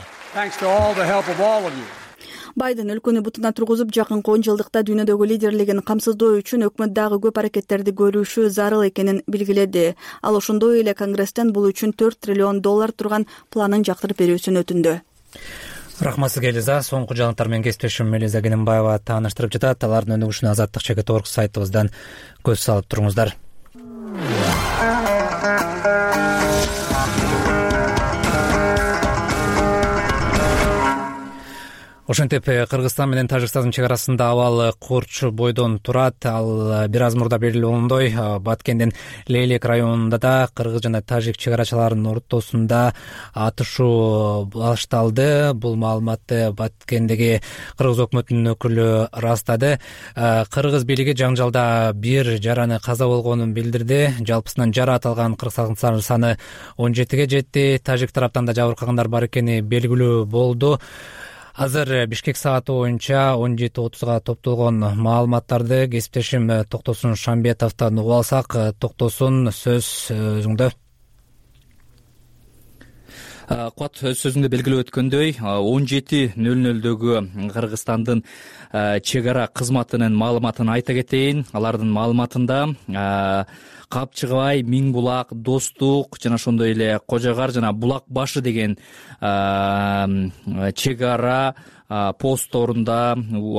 Байден өлкөнү бутуна тургузуп, жакынкы он жылдыкта дүйнөдөгү лидерлигин камсыздоо үчүн өкмөт дагы көп аракеттерди көрүшү зарыл экенин белгиледи. Ал ошондой эле Конгресстен бул үчүн төрт триллион доллар турган планын жактырып берүүсүн өтүндү. Рахмат сизге, Элиза. Соңку жаңылыктар менен кесиптешим Элиза Кененбаева тааныштырып жатат. Алардын өнүгүшүнө азаттык чекит орг сайтыбыздан көз салып туруңуздар. Ошентип Кыргызстан менен Тажикстандын чек арасында абал курч бойдон турат. Ал бир аз мурда белгилүү болгондой, Баткендин Лейлек районунда да кыргыз жана тажик чек арачыларынын ортосунда атышуу башталды. Бул маалыматты Баткендеги кыргыз өкмөтүнүн өкүлү ырастады. Кыргыз бийлиги жаңжалда бир жараны каза болгонун билдирди. Жалпысынан жараат алган кыргызстандын саны он жетиге жетти. Тажик тараптан да жабыркагандар бар экени белгилүү болду. Азыр Бишкек сааты боюнча он жети отузга топтолгон маалыматтарды кесиптешим Токтосун Шамбетовдон угуп алсак. Токтосун, сөз өзүңдө. Куат, өз сөзүңдө белгилеп өткөндөй, он жети нөл нөлдөгү Кыргызстандын чек ара кызматынын маалыматын айта кетейин. Алардын маалыматында Капчыгыбай, Миң булак, Достук жана ошондой эле Кожогар жана Булак башы деген чек ара постторунда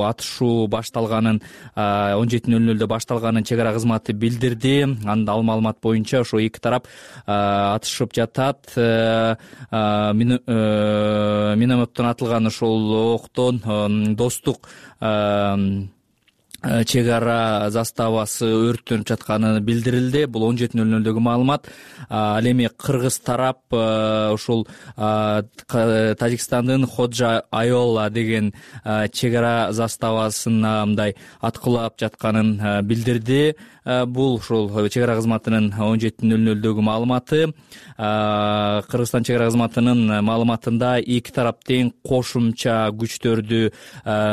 атышуу башталганын, он жети нөл нөлдө башталганын чек ара кызматы билдирди. Анда ал маалымат боюнча ошо эки тарап атышып жатат. Минометтон атылган ошол октон Достук чек ара заставасы өрттөнүп жатканы билдирилди. Бул он жети нөл нөлдөгү маалымат. Ал эми кыргыз тарап ошол Тажикстандын Ходжа Айола деген чек ара заставасына мындай аткылап жатканын билдирди. Бул ошол чек ара кызматынын он жети нөл нөлдөгү маалыматы. Кыргызстан чек ара кызматынын маалыматында эки тарап тең кошумча күчтөрдү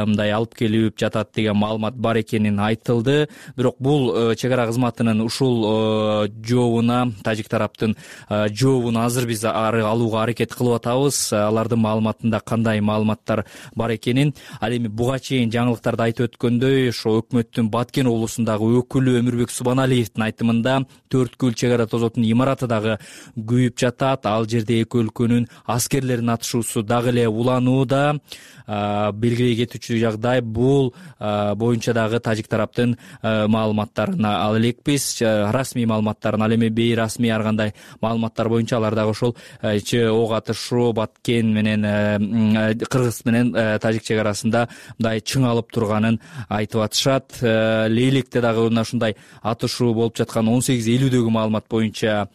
мындай алып келип жатат деген маалымат бар экенин айтылды. Бирок бул чек ара кызматынын ушул жообуна, тажик тараптын жообуна азыр биз алууга аракет кылып атабыз. Алардын маалыматында кандай маалыматтар бар экенин. Ал эми буга чейин жаңылыктарда айтып өткөндөй, ошо өкмөттүн Баткен облусундагы өкүлү Өмүрбек Субаналиевдин айтымында төрткүл чек ара тозотунун имараты дагы күйүп жатат. Ал жерде эки өлкөнүн аскерлеринин атышуусу дагы эле уланууда. Белгилей кетүүчү жагдай, бул боюнча дагы тажик тараптын маалыматтарына ал элекпиз. Расмий маалыматтарын, ал эми бейрасмий ар кандай маалыматтар боюнча алар дагы ошол ок атышуу Баткен менен Кыргыз менен тажик чек арасында мындай чыңалып турганын айтып атышат. Лейлекте дагы мына ушундай атышуу болуп жаткан он сегиз элүүдөгү маалымат боюнча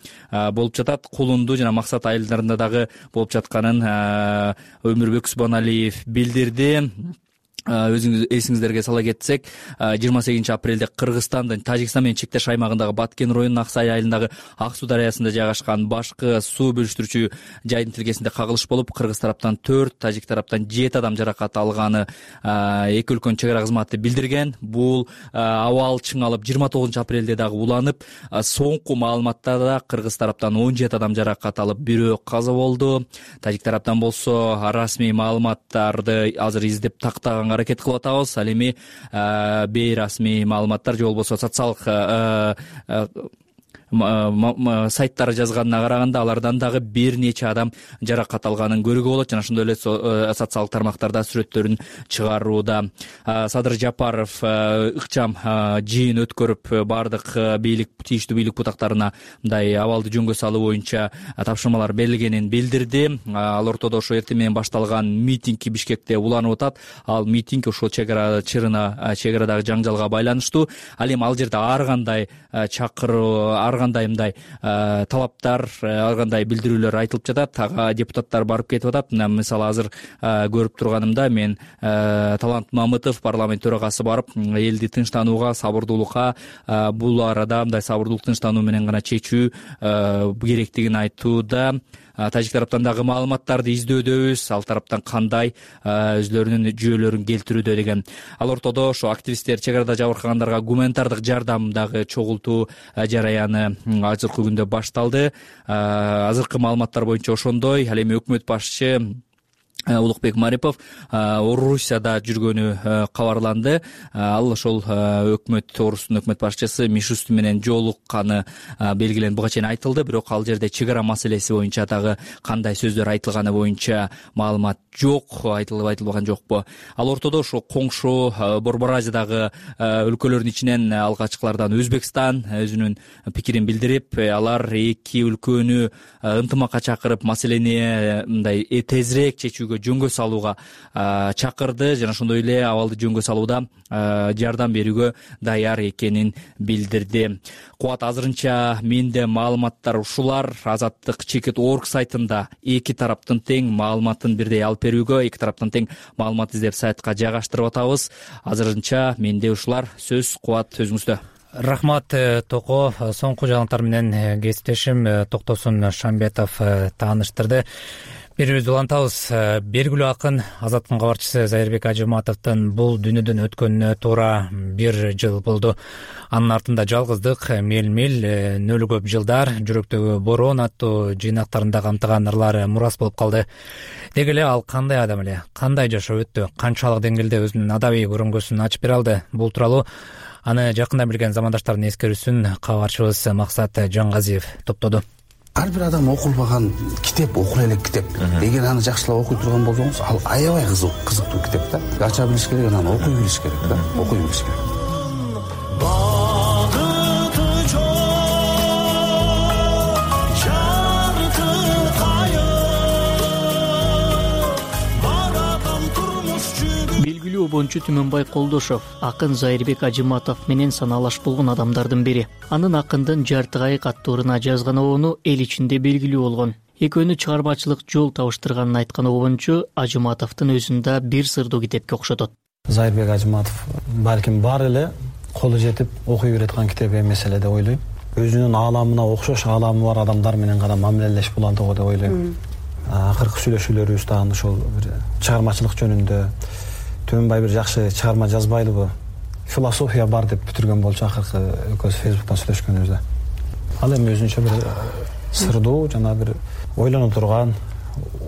болуп жатат. Кулунду жана Максат айылдарында дагы болуп жатканын Өмүрбек Субаналиев билдирди. Өзүңүз эсиңиздерге сала кетсек, жыйырма сегизинчи апрелде Кыргызстандын Тажикстан менен чектеш аймагындагы Баткен районунун Аксай айылындагы Ак суу дарыясында жайгашкан башкы суу бөлүштүрүүчү жайдын тилкесинде кагылыш болуп, Кыргыз тараптан төрт, тажик тараптан жети адам жаракат алганы эки өлкөнүн чек ара кызматы билдирген. Бул абал чыңалып жыйырма тогузунчу апрелде дагы уланып, соңку маалыматтарда Кыргыз тараптан он жети адам жаракат алып, бирөө каза болду. Тажик тараптан болсо расмий маалыматтарды азыр издеп тактаганга аракет кылып атабыз. Ал эми бейрасмий маалыматтар же болбосо социалдык сайттары жазганына караганда алардан дагы бир нече адам жаракат алганын көрүүгө болот жана ошондой эле социалдык тармактарда сүрөттөрүн чыгарууда. Садыр Жапаров ыкчам жыйын өткөрүп баардык бийлик тийиштүү бийлик бутактарына мындай абалды жөнгө салуу боюнча тапшырмалар берилгенин билдирди. Ал ортодо ошо эртең менен башталган митинг Бишкекте уланып атат. Ал митинг ошол чек ара чырына, чек-арадагы жаңжалга байланыштуу. Ал эми ал жерде ар кандай чакыруу, ар кандай мындай талаптар, ар кандай билдирүүлөр айтылып жатат. Ага депутаттар барып кетип атат. Мына мисалы азыр көрүп турганымда мен Талант Мамытов, парламент төрагасы, барып элди тынчтанууга, сабырдуулукка, бул арада мындай сабырдуулук, тынчтануу менен гана чечүү керектигин айтууда. Тажик тараптан дагы маалыматтарды издөөдөбүз, ал тараптан кандай өзлөрүнүн жүйөлөрүн келтирүүдө деген. Ал ортодо ошо активисттер чек арада жабыркагандарга гуманитардык жардам дагы чогултуу жараяны азыркы күндө башталды. Азыркы маалыматтар боюнча ошондой. Ал эми өкмөт башчы Улукбек Марипов Орусияда жүргөнү кабарланды. Ал ошол өкмөт, Орустун өкмөт башчысы Мишусту менен жолукканы белгиленди. Буга чейин айтылды, бирок ал жерде чек ара маселеси боюнча дагы кандай сөздөр айтылганы боюнча маалымат жок, айтылып айтылбаган жокпу. Ал ортодо ошо коңшу Борбор Азиядагы өлкөлөрдүн ичинен алгачкылардан Өзбекстан өзүнүн пикирин билдирип, алар эки өлкөнү ынтымакка чакырып, маселени мындай тезирээк чечүүгө, жөнгө салууга чакырды жана ошондой эле абалды жөнгө салууда жардам берүүгө даяр экенин билдирди. Кубат, азырынча менде маалыматтар ушулар. Азаттык чекит орг сайтында эки тараптын тең маалыматын бирдей алып берүүгө, эки тараптан тең маалымат издеп сайтка жайгаштырып атабыз. Азырынча менде ушулар. Сөз Кубат өзүңүздө. Рахмат Токо. Соңку жаңылыктар менен кесиптешим Токтосун Шамбетов тааныштырды. Берүүбүздү улантабыз. Белгилүү акын, Азаттын кабарчысы Зайырбек Ажыматовдун бул дүйнөдөн өткөнүнө туура бир жыл болду. Анын артында жалгыздык, мел-мел, нөлү көп жылдар, жүрөктөгү бороон аттуу жыйнактарында камтыган ырлары мурас болуп калды. Деги эле ал кандай адам эле, кандай жашоо өттү, канчалык деңгээлде өзүнүн адабий көрүнгөсүн ачып бере алды? Бул тууралуу аны жакында билген замандаштардын эскерүүсүн кабарчыбыз Максат Жангазиев топтоду. Ар бир адам окулбаган китеп окула элек китеп. Эгер аны жакшылап окуй турган болсоңуз, ал аябай кызык, кызыктуу китеп да. Ача билиш керек, анан окуй билиш керек да. Окуй билиш керек. Обончу Түмөнбай Колдошов акын Зайырбек Ажыматов менен санаалаш болгон адамдардын бири. Анын акындын жарты кайык аттууруна жазган обону эл ичинде белгилүү болгон. Экөөнү чыгармачылык жол табыштырганын айткан обончу Ажыматовдун өзүн да бир сырдуу китепке окшотот. Зайырбек Ажыматов балким бар эле колу жетип окуй береткан китеп эмес эле деп ойлойм. Өзүнүн ааламына окшош ааламы бар адамдар менен гана мамилелеш болот деп ойлойм. Акыркы сүйлөшүүлөрүбүз дагы ошол чыгармачылык жөнүндө Түмөнбай бир жакшы чыгарма жазбайлыбы, философия бар деп бүтүргөн болчу акыркы экөөбүз Фейсбуктан сүйлөшкөнүбүздө. Ал эми өзүнчө бир сырдуу жана бир ойлонуп турган,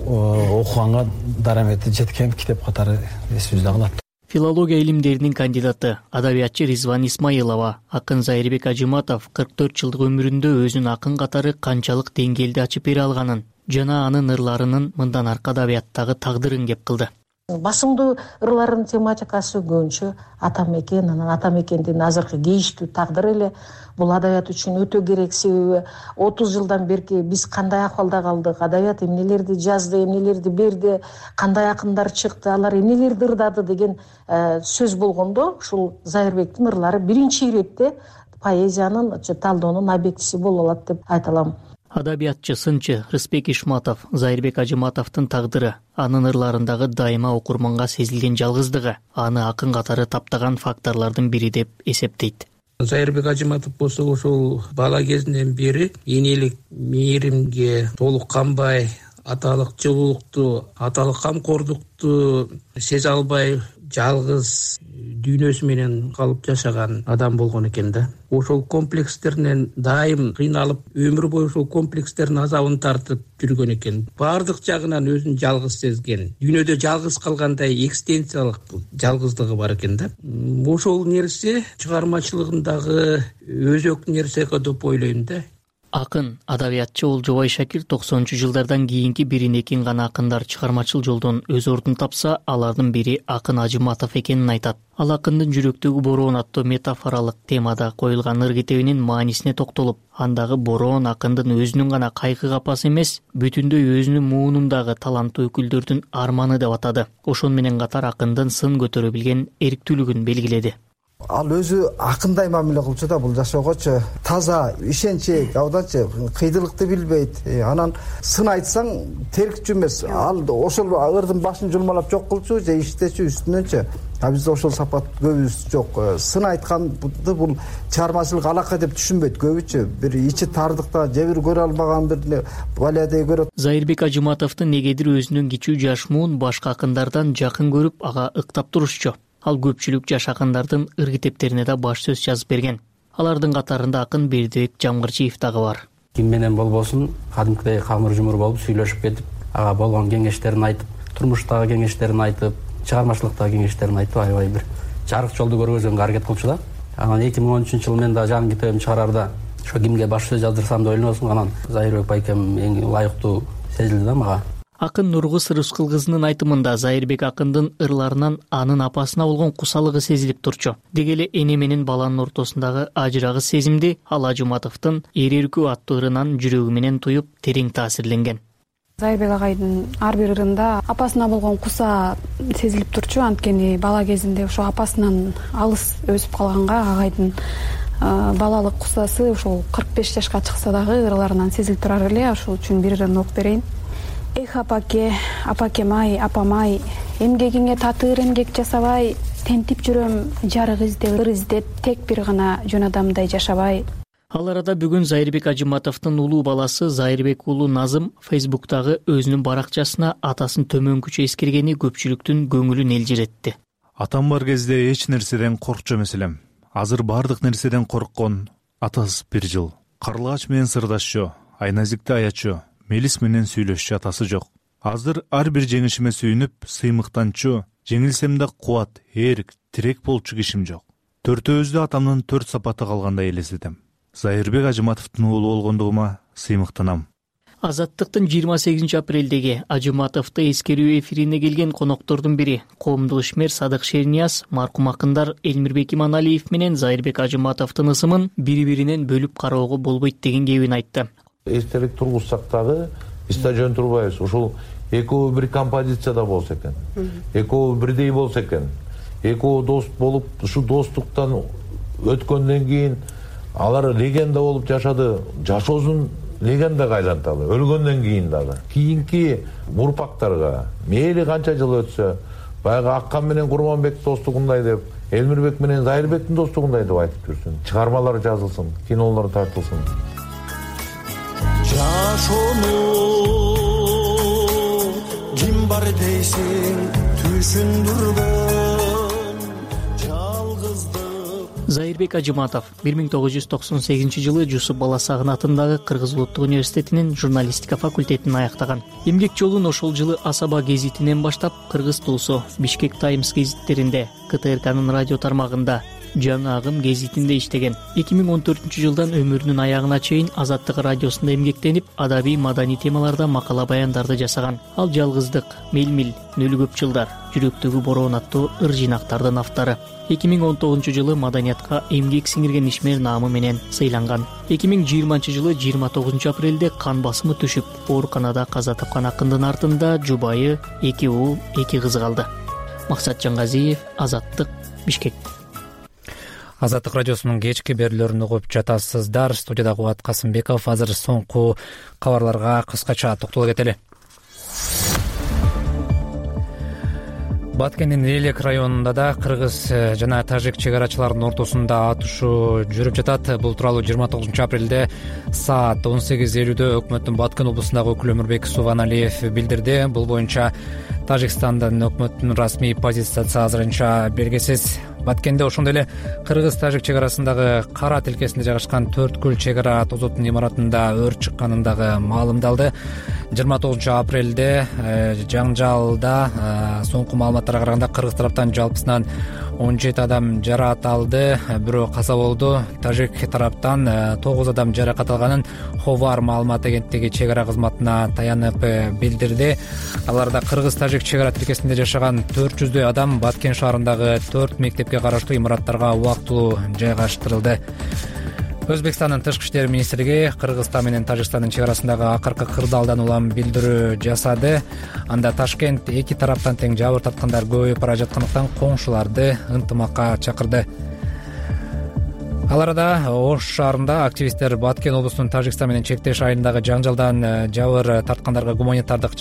окуганга дарамети жеткен китеп катары эсибизде калат. Филология илимдеринин кандидаты, адабиятчы Ризван Исмаилова, акын Зайырбек Ажыматов кырк төрт жылдык өмүрүндө өзүнүн акын катары канчалык деңгээлде ачып бере алганын жана анын ырларынын мындан аркы адабияттагы тагдырын кеп кылды. Басымдуу ырлардын тематикасы көбүнчө ата мекен, анан ата мекендин азыркы кейиштүү тагдыры эле бул адабият үчүн өтө керек. Себеби отуз жылдан берки биз кандай акыбалда калдык, адабият эмнелерди жазды, эмнелерди берди, кандай акындар чыкты, алар эмнелерди ырдады деген сөз болгондо ушул Зайырбектин ырлары биринчи иретте поэзиянын талдоонун объектиси боло алат деп айта алам. Адабиятчы, сынчы Рыспек Ишматов Зайырбек Ажыматовдун тагдыры, анын ырларындагы дайыма окурманга сезилген жалгыздыгы аны акын катары таптаган факторлордун бири деп эсептейт. Зайырбек Ажыматов болсо ошол бала кезинен бери энелик мээримге толук канбай, аталык жылуулукту, аталык камкордукту сезе албай жалгыз дүйнөсү менен калып жашаган адам болгон экен да. Ошол комплекстеринен дайым кыйналып, өмүр бою ошол комплекстердин азабын тартып жүргөн экен. Баардык жагынан өзүн жалгыз сезген. Дүйнөдө жалгыз калгандай экстенциялык жалгыздыгы бар экен да. Ошол нерсе чыгармачылыгындагы өзөк нерсе деп ойлойм да. Акын, адабиятчы Олжобай Шакир токсонунчу жылдардан кийинки бирин экин гана акындар чыгармачыл жолдон өз ордун тапса, алардын бири Акын Ажыматов экенин айтат. Ал акындын жүрөктөгү бороон аттуу метафоралык темада коюлган ыр китебинин маанисине токтолуп, андагы бороон акындын өзүнүн гана кайкы капасы эмес, бүтүндөй өзүнүн муунундагы таланттуу өкүлдөрдүн арманы деп атады. Ошону менен катар акындын сын көтөрө билген эрктүүлүгүн белгиледи. Ал өзү акындай мамиле кылчу да, бул жашоогочу таза, ишенчек, абдачы, кыйдылыкты билбейт. Анан сын айтсаң теркчү эмес. Ал ошол ырдын башын жулмалап жок кылчу же иштечү үстүнөнчү. А бизде ошол сапат көбүбүз жок. Сын айтканды бул чыгармачылык алака деп түшүнбөйт көбүчү. Бир ичи тардыкта же бир көрө албаган бир балядей көрөт. Зайырбек Ажыматовдун негедир өзүнүн кичүү жаш муун башка акындардан жакын көрүп, ага ыктап турушчу. Ал көпчүлүк жаш акындардын ыр китептерине да баш сөз жазып берген. Алардын катарында акын Бердибек Жамгырчиев дагы бар. Ким менен болбосун кадимкидей камыр жумур болуп сүйлөшүп кетип, ага болгон кеңештерин айтып, турмуштагы кеңештерин айтып, чыгармачылыктагы кеңештерин айтып, аябай бир жарык жолду көргөзгөнгө аракет кылчу да. Анан эки миң он үчүнчү жылы мен да жаңы китебимди чыгарарда ошо кимге баш сөз жаздырсам деп ойлоносуң, анан Зайырбек байкем эң ылайыктуу сезилди да мага. Акын Нургуз Рыскул кызынын айтымында Зайырбек акындын ырларынан анын апасына болгон кусалыгы сезилип турчу. Деги эле эне менен баланын ортосундагы ажырагыс сезимди ал Ажыматовдун Эр эркүү аттуу ырынан жүрөгү менен туюп, терең таасирленген. Зайырбек агайдын ар бир ырында апасына болгон куса сезилип турчу, анткени бала кезинде ошо апасынан алыс өсүп калганга агайдын балалык кусасы ошол кырк беш жашка чыкса дагы ырларынан сезилип турар эле. Ошол үчүн бир ырын окуп берейин. Эх, апаке, апакем-ай, апам-ай, эмгегиңе татыр эмгек жасабай, тентип жүрөм жарык издеп, ыр издеп, тек бир гана жөн адамдай жашабай. Ал арада бүгүн Зайырбек Ажыматовдун улуу баласы Зайырбек уулу Назым Фейсбуктагы өзүнүн баракчасына атасын төмөнкүчө эскергени көпчүлүктүн көңүлүн элжиретти. Атам бар кезде эч нерседен коркчу эмес элем. Азыр бардык нерседен корккон атасыз бир жыл. Карлыгач менен сырдашчу, айназикти аячу, мелис менен сүйлөшчү атасы жок. Азыр ар бир жеңишиме сүйүнүп, сыймыктанчу, жеңилсем да кубат, эрк, тирек болчу кишим жок. Төртөөбүздө атамдын төрт сапаты калгандай элестетем. Зайырбек Ажыматовдун уулу болгондугума сыймыктанам. Азаттыктын жыйырма сегизинчи апрелдеги Ажыматовду эскерүү эфирине келген коноктордун бири коомдук ишмер Садык Шернияз маркум акындар Элмирбек Иманалиев менен Зайырбек Ажыматовдун ысымын бири-биринен бөлүп кароого болбойт деген кебин айтты. Эстелик тургузсак дагы стадион турбайбыз. Ушул экөө бир композицияда болсо экен. Экөө бирдей болсо экен. Экөө дос болуп, ушу достуктан өткөндөн кийин алар легенда болуп жашады. Жашоосун легендага айланталы. Өлгөндөн кийин дагы. Кийинки урпактарга мейли канча жыл өтсө, баягы Аккан менен Курманбек достугундай деп, Элмирбек менен Зайырбектин достугундай деп айтып жүрсүн. Чыгармалар жазылсын, кинолор тартылсын. Жашоону ким бар дейсиң, түшүндүргөн жалгыздык. Зайырбек Ажыматов бир миң тогуз жүз токсон сегизинчи жылы Жусуп Баласагын атындагы Кыргыз Улуттук университетинин журналистика факультетин аяктаган. Эмгек жолун ошол жылы Асаба гезитинен баштап Кыргыз Тулсу, Бишкек Таймс гезиттеринде, К Т Р К'нын радио тармагында, Жаңы Агым гезитинде иштеген. эки миң он төртүнчү жылдан өмүрүнүн аягына чейин Азаттык радиосунда эмгектенип, адабий, маданий темаларда макала баяндарды жасаган. Ал жалгыздык, мелмил, нөлүгөп жылдар, жүрөктөгү бороон аттуу ыр жыйнактардын автору. эки миң он тогузунчу жылы маданиятка эмгек сиңирген ишмер наамы менен сыйланган. эки миң жыйырманчы жылы жыйырма тогузунчу апрелде кан басымы түшүп, ооруканада каза тапкан акындын артында жубайы, эки уулу, эки кызы калды. Максат Жаңгазиев, Азаттык, Бишкек. Азаттык радиосунун кечки берүүлөрүн угуп жатасыздар. Студияда Кубат Касымбеков. Азыр соңку кабарларга кыскача токтоло кетели. Баткендин Элек районунда да кыргыз жана тажик чек арачыларынын ортосунда атышуу жүрүп жатат. Бул тууралуу жыйырма тогузунчу апрелде саат он сегиз элүүдө өкмөттүн Баткен облусундагы өкүлү Өмүрбек Субаналиев билдирди. Бул боюнча Тажикстандын өкмөттүнүн расмий позициясы азырынча белгисиз. Баткенде ошондой эле кыргыз-тажик чек арасындагы Кара тилкесинде жайгашкан Төрткүл чек ара тозоттун имаратында өрт чыкканын дагы маалымдалды. жыйырма тогузунчу апрелде жаңжалда соңку маалыматтарга караганда кыргыз тараптан жалпысынан он жети адам жараат алды, бирөө каза болду. Тажик тараптан тогуз адам жаракат алганын Ховар маалымат агенттиги чек ара кызматына таянып билдирди. Аларда кыргыз-тажик чек ара тилкесинде жашаган төрт жүздөй адам Баткен шаарындагы төрт мектепке караштуу имараттарга убактылуу жайгаштырылды. Өзбекстандын тышкы иштер министрлиги Кыргызстан менен Тажикстандын чек арасындагы акыркы кырдаалдан улам билдирүү жасады. Анда Ташкент эки тараптан тең жабыр тарткандар көбөйүп бара жаткандыктан коңшуларды ынтымакка чакырды. Ал арада Ош шаарында активисттер Баткен облусунун Тажикстан менен чектеш айылындагы жаңжалдан жабыр тарткандарга гуманитардык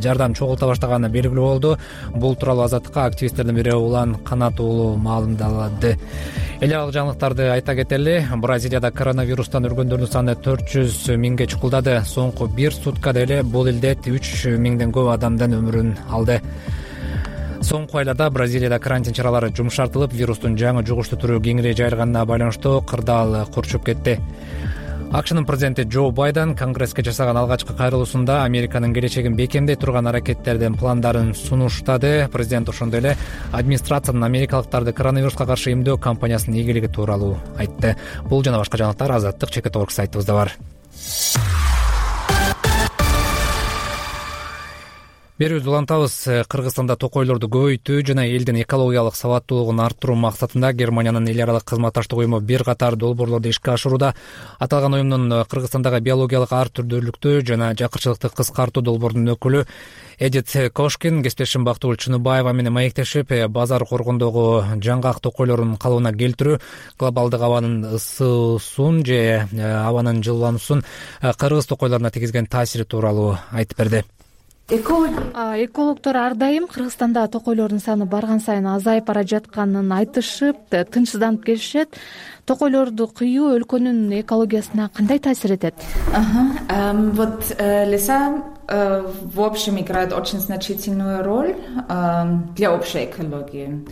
жардам чогулта баштаганы белгилүү болду. Бул тууралуу Азаттыкка активисттердин бири Улан Канат уулу маалымдады. Эле алык жаңылыктарды айта кетели. Бразилияда коронавирустан өлгөндөрдүн саны төрт жүз миңге чукулдады. Соңку бир суткада эле бул илдет үч миңден көп адамдын өмүрүн алды. Соңку айларда Бразилияда карантин чаралары жумшартылып, вирустун жаңы жугуштуу түрү кеңири жайылганына байланыштуу кырдаал курчуп кетти. АКШнын президенти Джо Байден Конгресске жасаган алгачкы кайрылуусунда Американын келечегин бекемдей турган аракеттердин пландарын сунуштады. Президент ошондой эле администрациянын америкалыктарды коронавируска каршы эмдөө кампаниясынын ийгилиги тууралуу айтты. Бул жана башка жаңылыктар Азаттык Чекет Орг сайтыбызда бар. Берүүбүздү улантабыз. Кыргызстанда токойлорду көбөйтүү жана элдин экологиялык сабаттуулугун арттыруу максатында Германиянын эл аралык кызматташтык уюму бир катар долбоорлорду ишке ашырууда. Аталган уюмдун Кыргызстандагы биологиялык ар түрдүүлүктү жана жакырчылыкты кыскартуу долбоорунун өкүлү Эдит Кошкин кесиптешим Бактыгүл Чыныбаева менен маектешип, базар коргондогу жаңгак токойлорунун калыбына келтирүү глобалдык абанын ысуусун же абанын жылуулануусун кыргыз токойлоруна тийгизген таасири тууралуу айтып берди. Экологдор ар дайым Кыргызстанда токойлордун саны барган сайын азайып бара жатканын айтышып, тынчсызданып келишет. Токойлорду кыюу өлкөнүн экологиясына кандай таасир этет? Вот леса в общем играют очень значительную роль для общей экологии.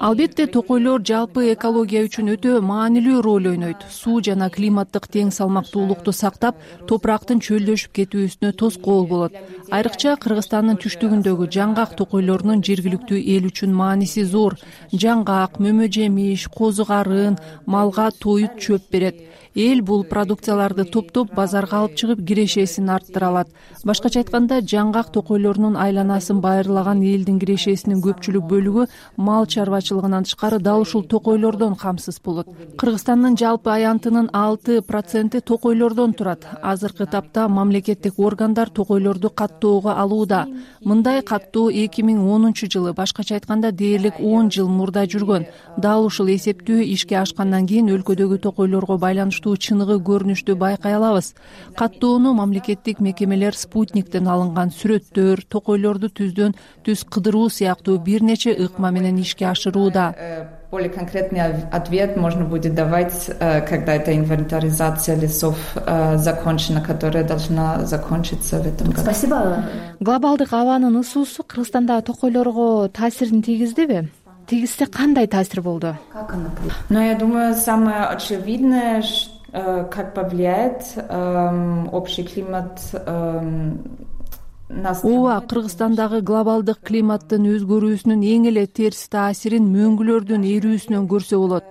Албетте токойлор жалпы экология үчүн өтө маанилүү роль ойнойт. Суу жана климаттык тең салмактуулукту сактап, топурактын чөлдөшүп кетүүсүнө тоскоол болот. Айрыкча Кыргызстандын түштүгүндөгү жаңгак токойлорунун жергиликтүү эл үчүн мааниси зор. Жаңгак, мөмө жемиш, козу карын, малга тоют чөп берет. Эл бул продукцияларды топтоп базарга алып чыгып кирешесин арттыра алат. Башкача айтканда, жаңгак токойлорунун айланасын байырлаган элдин кирешесинин көпчүлүк бөлүгү мал чарбачылыгынан тышкары дал ушул токойлордон камсыз болот. Кыргызстандын жалпы аянтынын алты проценти токойлордон турат. Азыркы тапта мамлекеттик органдар токойлорду каттоого алууда. Мындай каттоо эки миң онунчу жылы, башкача айтканда дээрлик он жыл мурда жүргөн. Дал ушул эсептөө ишке ашкандан кийин өлкөдөгү токойлорго байланыштуу чыныгы көрүнүштү байкай алабыз. Каттоону мамлекеттик мекемелер спутниктен алынган сүрөттөр, токойлорду түздөн түз кыдыруу сыяктуу бир нече ыкма менен ишке ашырууда. Более конкретный ответ можно будет давать, когда эта инвентаризация лесов закончена, которая должна закончиться в этом году. Спасибо. Глобалдык абанын ысуусу Кыргызстанда токойлорго таасирин тийгиздиби? Тийгизсе кандай таасир болду? Ну, я думаю, самое очевидное, как повлияет общий климат. Ооба, Кыргызстандагы глобалдык климаттын өзгөрүүсүнүн эң эле терс таасирин мөңгүлөрдүн эрүүсүнөн көрсө болот.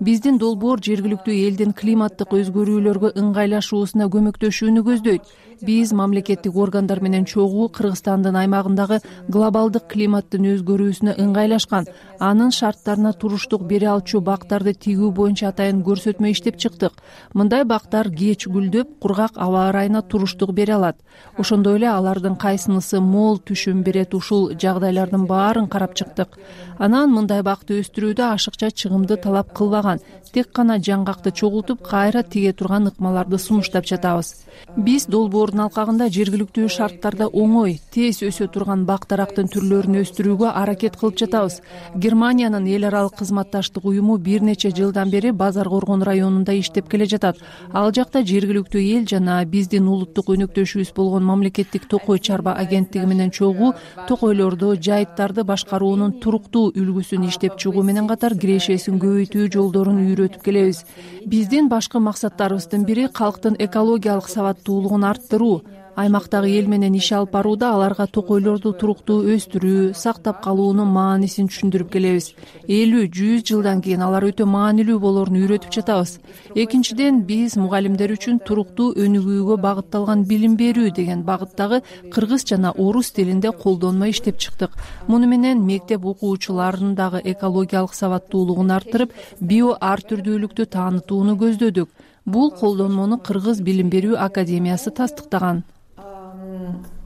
Биздин долбоор жергиликтүү элдин климаттык өзгөрүүлөргө ыңгайлашуусуна көмөктөшүүнү көздөйт. Биз мамлекеттик органдар менен чогуу Кыргызстандын аймагындагы глобалдык климаттын өзгөрүүсүнө ыңгайлашкан, анын шарттарына туруштук бере алчу бактарды тигүү боюнча атайын көрсөтмө иштеп чыктык. Мындай бактар кеч гүлдөп, кургак аба ырайына туруштук бере алат. Ошондой эле алардын кайсынысы мол түшүм берет, ушул жагдайлардын баарын карап чыктык. Анан мындай бакты өстүрүүдө ашыкча чыгымды талап кылбаган. албаган, тек гана жаңгакты чогултуп кайра тиге турган ыкмаларды сунуштап жатабыз. Биз долбоордун алкагында жергиликтүү шарттарда оңой, тез өсө турган бак дарактын түрлөрүн өстүрүүгө аракет кылып жатабыз. Германиянын эл аралык кызматташтык уюму бир нече жылдан бери Базар Коргон районунда иштеп келе жатат. Ал жакта жергиликтүү эл жана биздин улуттук өнөктөшүбүз болгон мамлекеттик токой чарба агенттиги менен чогуу токойлорду, жайыттарды башкаруунун туруктуу үлгүсүн иштеп чыгуу менен катар кирешесин көбөйтүү жолдорун үйрөтүп келебиз. Биздин башкы максаттарыбыздын бири калктын экологиялык сабаттуулугун арттыруу. Аймактагы эл менен иш алып барууда аларга токойлорду туруктуу өстүрүү, сактап калуунун маанисин түшүндүрүп келебиз. элүү жүз жылдан кийин алар өтө маанилүү болоорун үйрөтүп жатабыз. Экинчиден, биз мугалимдер үчүн туруктуу өнүгүүгө багытталган билим берүү деген багыттагы кыргыз жана орус тилинде колдонмо иштеп чыктык. Муну менен мектеп окуучуларынын дагы экологиялык сабаттуулугун арттырып, био ар түрдүүлүктү таанытууну көздөдүк. Бул колдонмону Кыргыз билим берүү академиясы тастыктаган.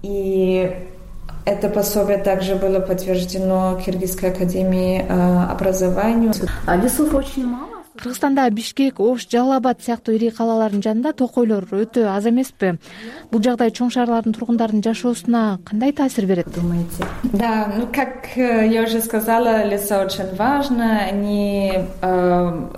И это пособие также было подтверждено Киргизской академией образования. Лесов очень мало. Кыргызстанда Бишкек, Ош, Жалал Абад сыяктуу ири калалардын жанында токойлор өтө аз эмеспи? Бул жагдай чоң шаарлардын тургундарынын жашоосуна кандай таасир берет, думаете? Да, ну как я уже сказала, леса очень важно, они э,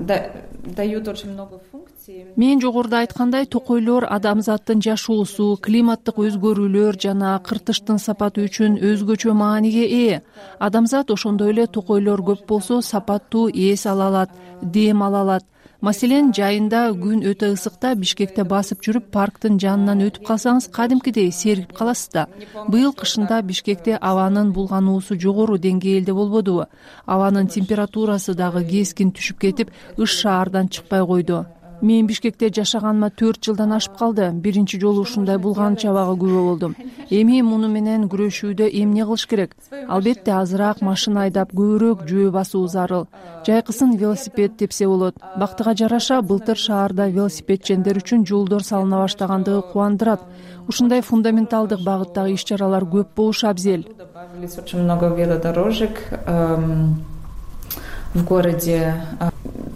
да, дают очень много функций. Мен жогоруда айткандай, токойлор адамзаттын жашоосу, климаттык өзгөрүүлөр жана кыртыштын сапаты үчүн өзгөчө мааниге ээ. Адамзат ошондой эле токойлор көп болсо сапаттуу эс ала алат, дем ала алат. Маселен, жайында күн өтө ысыкта Бишкекте басып жүрүп парктын жанынан өтүп калсаңыз, кадимкидей сергип каласыз да. Быйыл кышында Бишкекте абанын булгануусу жогору деңгээлде болбодубу? Абанын температурасы дагы кескин түшүп кетип, ыш шаардан чыкпай койду. Мен Бишкекте жашаганыма төрт жылдан ашып калды. Биринчи жолу ушундай булган чабага күбө болдум. Эми муну менен күрөшүүдө эмне кылыш керек? Албетте азыраак машина айдап, көбүрөөк жөө басуу зарыл. Жайкысын велосипед тепсе болот. Бактыга жараша былтыр шаарда велосипедчендер үчүн жолдор салына баштагандыгы кубандырат. Ушундай фундаменталдык багыттагы иш-чаралар көп болушу абзел. Добавились очень много велодорожек в городе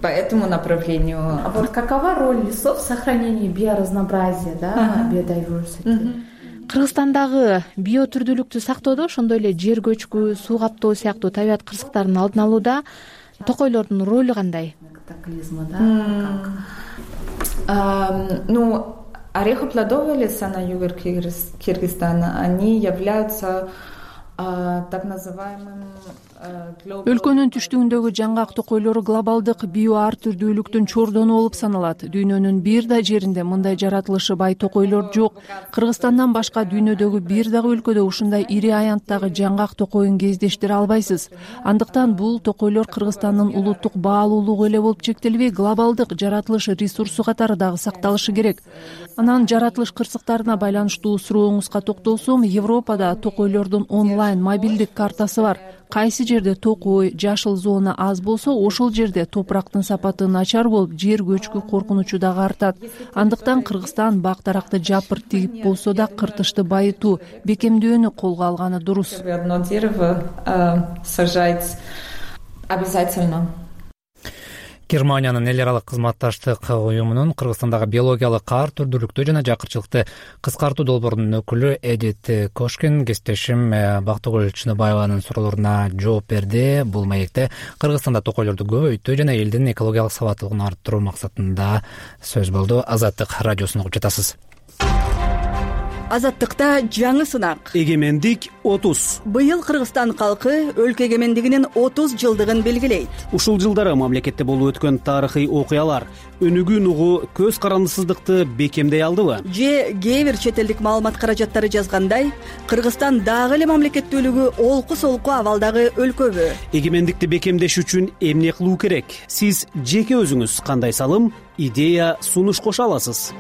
по этому направлению. А вот какова роль лесов в сохранении биоразнообразия, да, biodiversity? Кыргызстандагы биотүрдүүлүктү сактоодо, ошондой эле жер көчкү, суу каптоо сыяктуу табият кырсыктарын алдын алууда токойлордун ролу кандай? Катаклизма, да? Ну, орехоплодовые леса на юге Кыргызстана, они являются так называемым Өлкөнүн түштүгүндөгү жаңгак токойлору глобалдык био ар түрдүүлүктүн чордону болуп саналат. Дүйнөнүн бир да жеринде мындай жаратылышы бай токойлор жок. Кыргызстандан башка дүйнөдөгү бир дагы өлкөдө ушундай ири аянттагы жаңгак токойун кездештире албайсыз. Андыктан бул токойлор Кыргызстандын улуттук баалуулугу эле болуп чектелбей, глобалдык жаратылыш ресурсу катары дагы сакталышы керек. Анан жаратылыш кырсыктарына байланыштуу сурооңузга токтолсом, Европада токойлордун онлайн мобилдик картасы бар. Кайсы жерде токой, жашыл зона аз болсо, ошол жерде топурактын сапаты начар болуп, жер көчкү коркунучу дагы артат. Андыктан Кыргызстан бак даракты жапыр тигип болсо да кыртышты байытуу, бекемдөөнү колго алганы дурус. Одно дерево сажать обязательно. Германиянын эл аралык кызматташтык уюмунун Кыргызстандагы биологиялык ар түрдүүлүктү жана жакырчылыкты кыскартуу долбоорунун өкүлү Эдит Кошкин кесиптешим Бактыгүл Чыныбаеванын суроолоруна жооп берди. Бул маекте Кыргызстанда токойлорду көбөйтүү жана элдин экологиялык сабаттуулугун арттыруу максатында сөз болду. Азаттык радиосун угуп жатасыз. Азаттыкта жаңы сынак. Эгемендик отуз. Быйыл Кыргызстан калкы өлкө эгемендигинин отуз жылдыгын белгилейт. Ушул жылдары мамлекетте болуп өткөн тарыхый окуялар өнүгүүн угу көз карандысыздыкты бекемдей алдыбы? Же кээ бир чет элдик маалымат каражаттары жазгандай, Кыргызстан дагы эле мамлекеттүүлүгү олку-солку абалдагы өлкөбү? Эгемендикти бекемдеш үчүн эмне кылуу керек? Сиз жеке өзүңүз кандай салым, идея, сунуш кошо аласыз?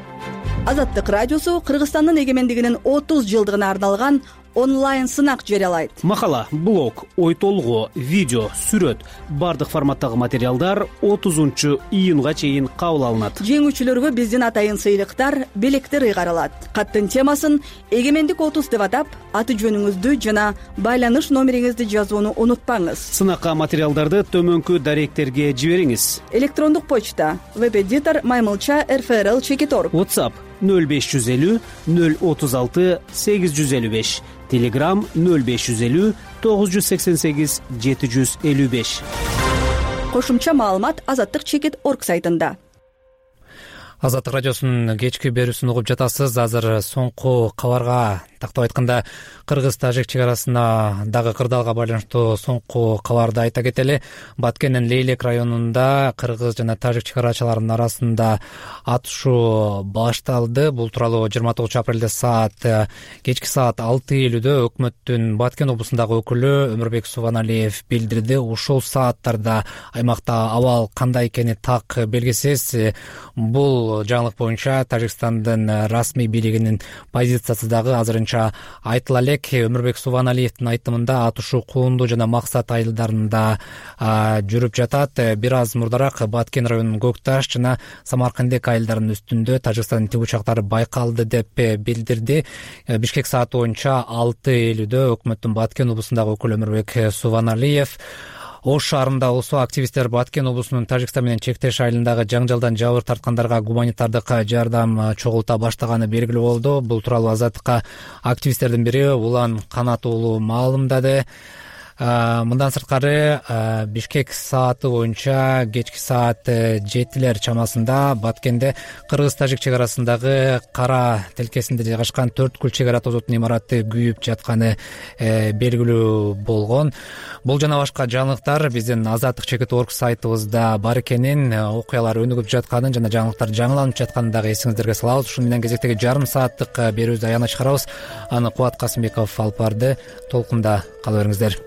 Азаттык радиосу Кыргызстандын эгемендигинин отуз жылдыгына арналган онлайн сынак жарыялайт. Макала, блог, ой толгоо, видео, сүрөт бардык форматтагы материалдар отузунчу июнга чейин кабыл алынат. Жеңүүчүлөргө биздин атайын сыйлыктар, белектер ыйгарылат. Каттын темасын эгемендик отуз деп атап, аты жөнүңүздү жана байланыш номериңизди жазууну унутпаңыз. Сынакка материалдарды төмөнкү даректерге жибериңиз. Электрондук почта веб-эдитор маймылча эр эф эр эл чекит точка орг. WhatsApp нөл беш жүз элүү нөл отуз алты сегиз жүз элүү беш. Telegram нөл беш жүз элүү тогуз жүз сексен сегиз жети жүз элүү беш. Кошумча маалымат азаттык чекит точка орг сайтында. Азаттык радиосунун кечки берүүсүн угуп жатасыз. Азыр соңку кабарга, тактап айтканда кыргыз-тажик чек арасына дагы кырдаалга байланыштуу соңку кабарды айта кетели. Баткендин Лейлек районунда кыргыз жана тажик чек арачыларынын арасында атышуу башталды. Бул тууралуу жыйырма тогузунчу апрелде саат кечки саат алты элүүдө өкмөттүн Баткен облусундагы өкүлү Өмүрбек Субаналиев билдирди. Ушул сааттарда аймакта абал кандай экени так белгисиз. Бул жаңылык боюнча Тажикстандын расмий бийлигинин позициясы дагы азырынча айтыла элек. Өмүрбек Субаналиевдин айтымында атышуу Куунду жана Максат айылдарында жүрүп жатат. Бир аз мурдараак Баткен районунун Көкташ жана Самаркандек айылдарынын үстүндө Тажикстандын тиг учактары байкалды деп билдирди. Бишкек сааты боюнча алты элүүдө өкмөттүн Баткен облусундагы өкүлү Өмүрбек Субаналиев Ош шаарында болсо активисттер Баткен облусунун Тажикстан менен чектеш айылындагы жаңжалдан жабыр тарткандарга гуманитардык жардам чогулта баштаганы белгилүү болду. Бул тууралуу Азаттыкка активисттердин бири Улан Канат уулу маалымдады. Мындан сырткары Бишкек сааты боюнча кечки саат жетилер чамасында Баткенде кыргыз-тажик чек арасындагы Кара тилкесинде жайгашкан төрткүл чек ара тозотун имараты күйүп жатканы белгилүү болгон. Бул жана башка жаңылыктар биздин азаттык чекит точка орг сайтыбызда бар экенин, окуялар өнүгүп жатканын жана жаңылыктар жаңыланып жатканын дагы эсиңиздерге салабыз. Ушун менен кезектеги жарым сааттык берүүбүздү аягына чыгарабыз. Аны Кубат Касымбеков алып барды. Толкунда кала бериңиздер.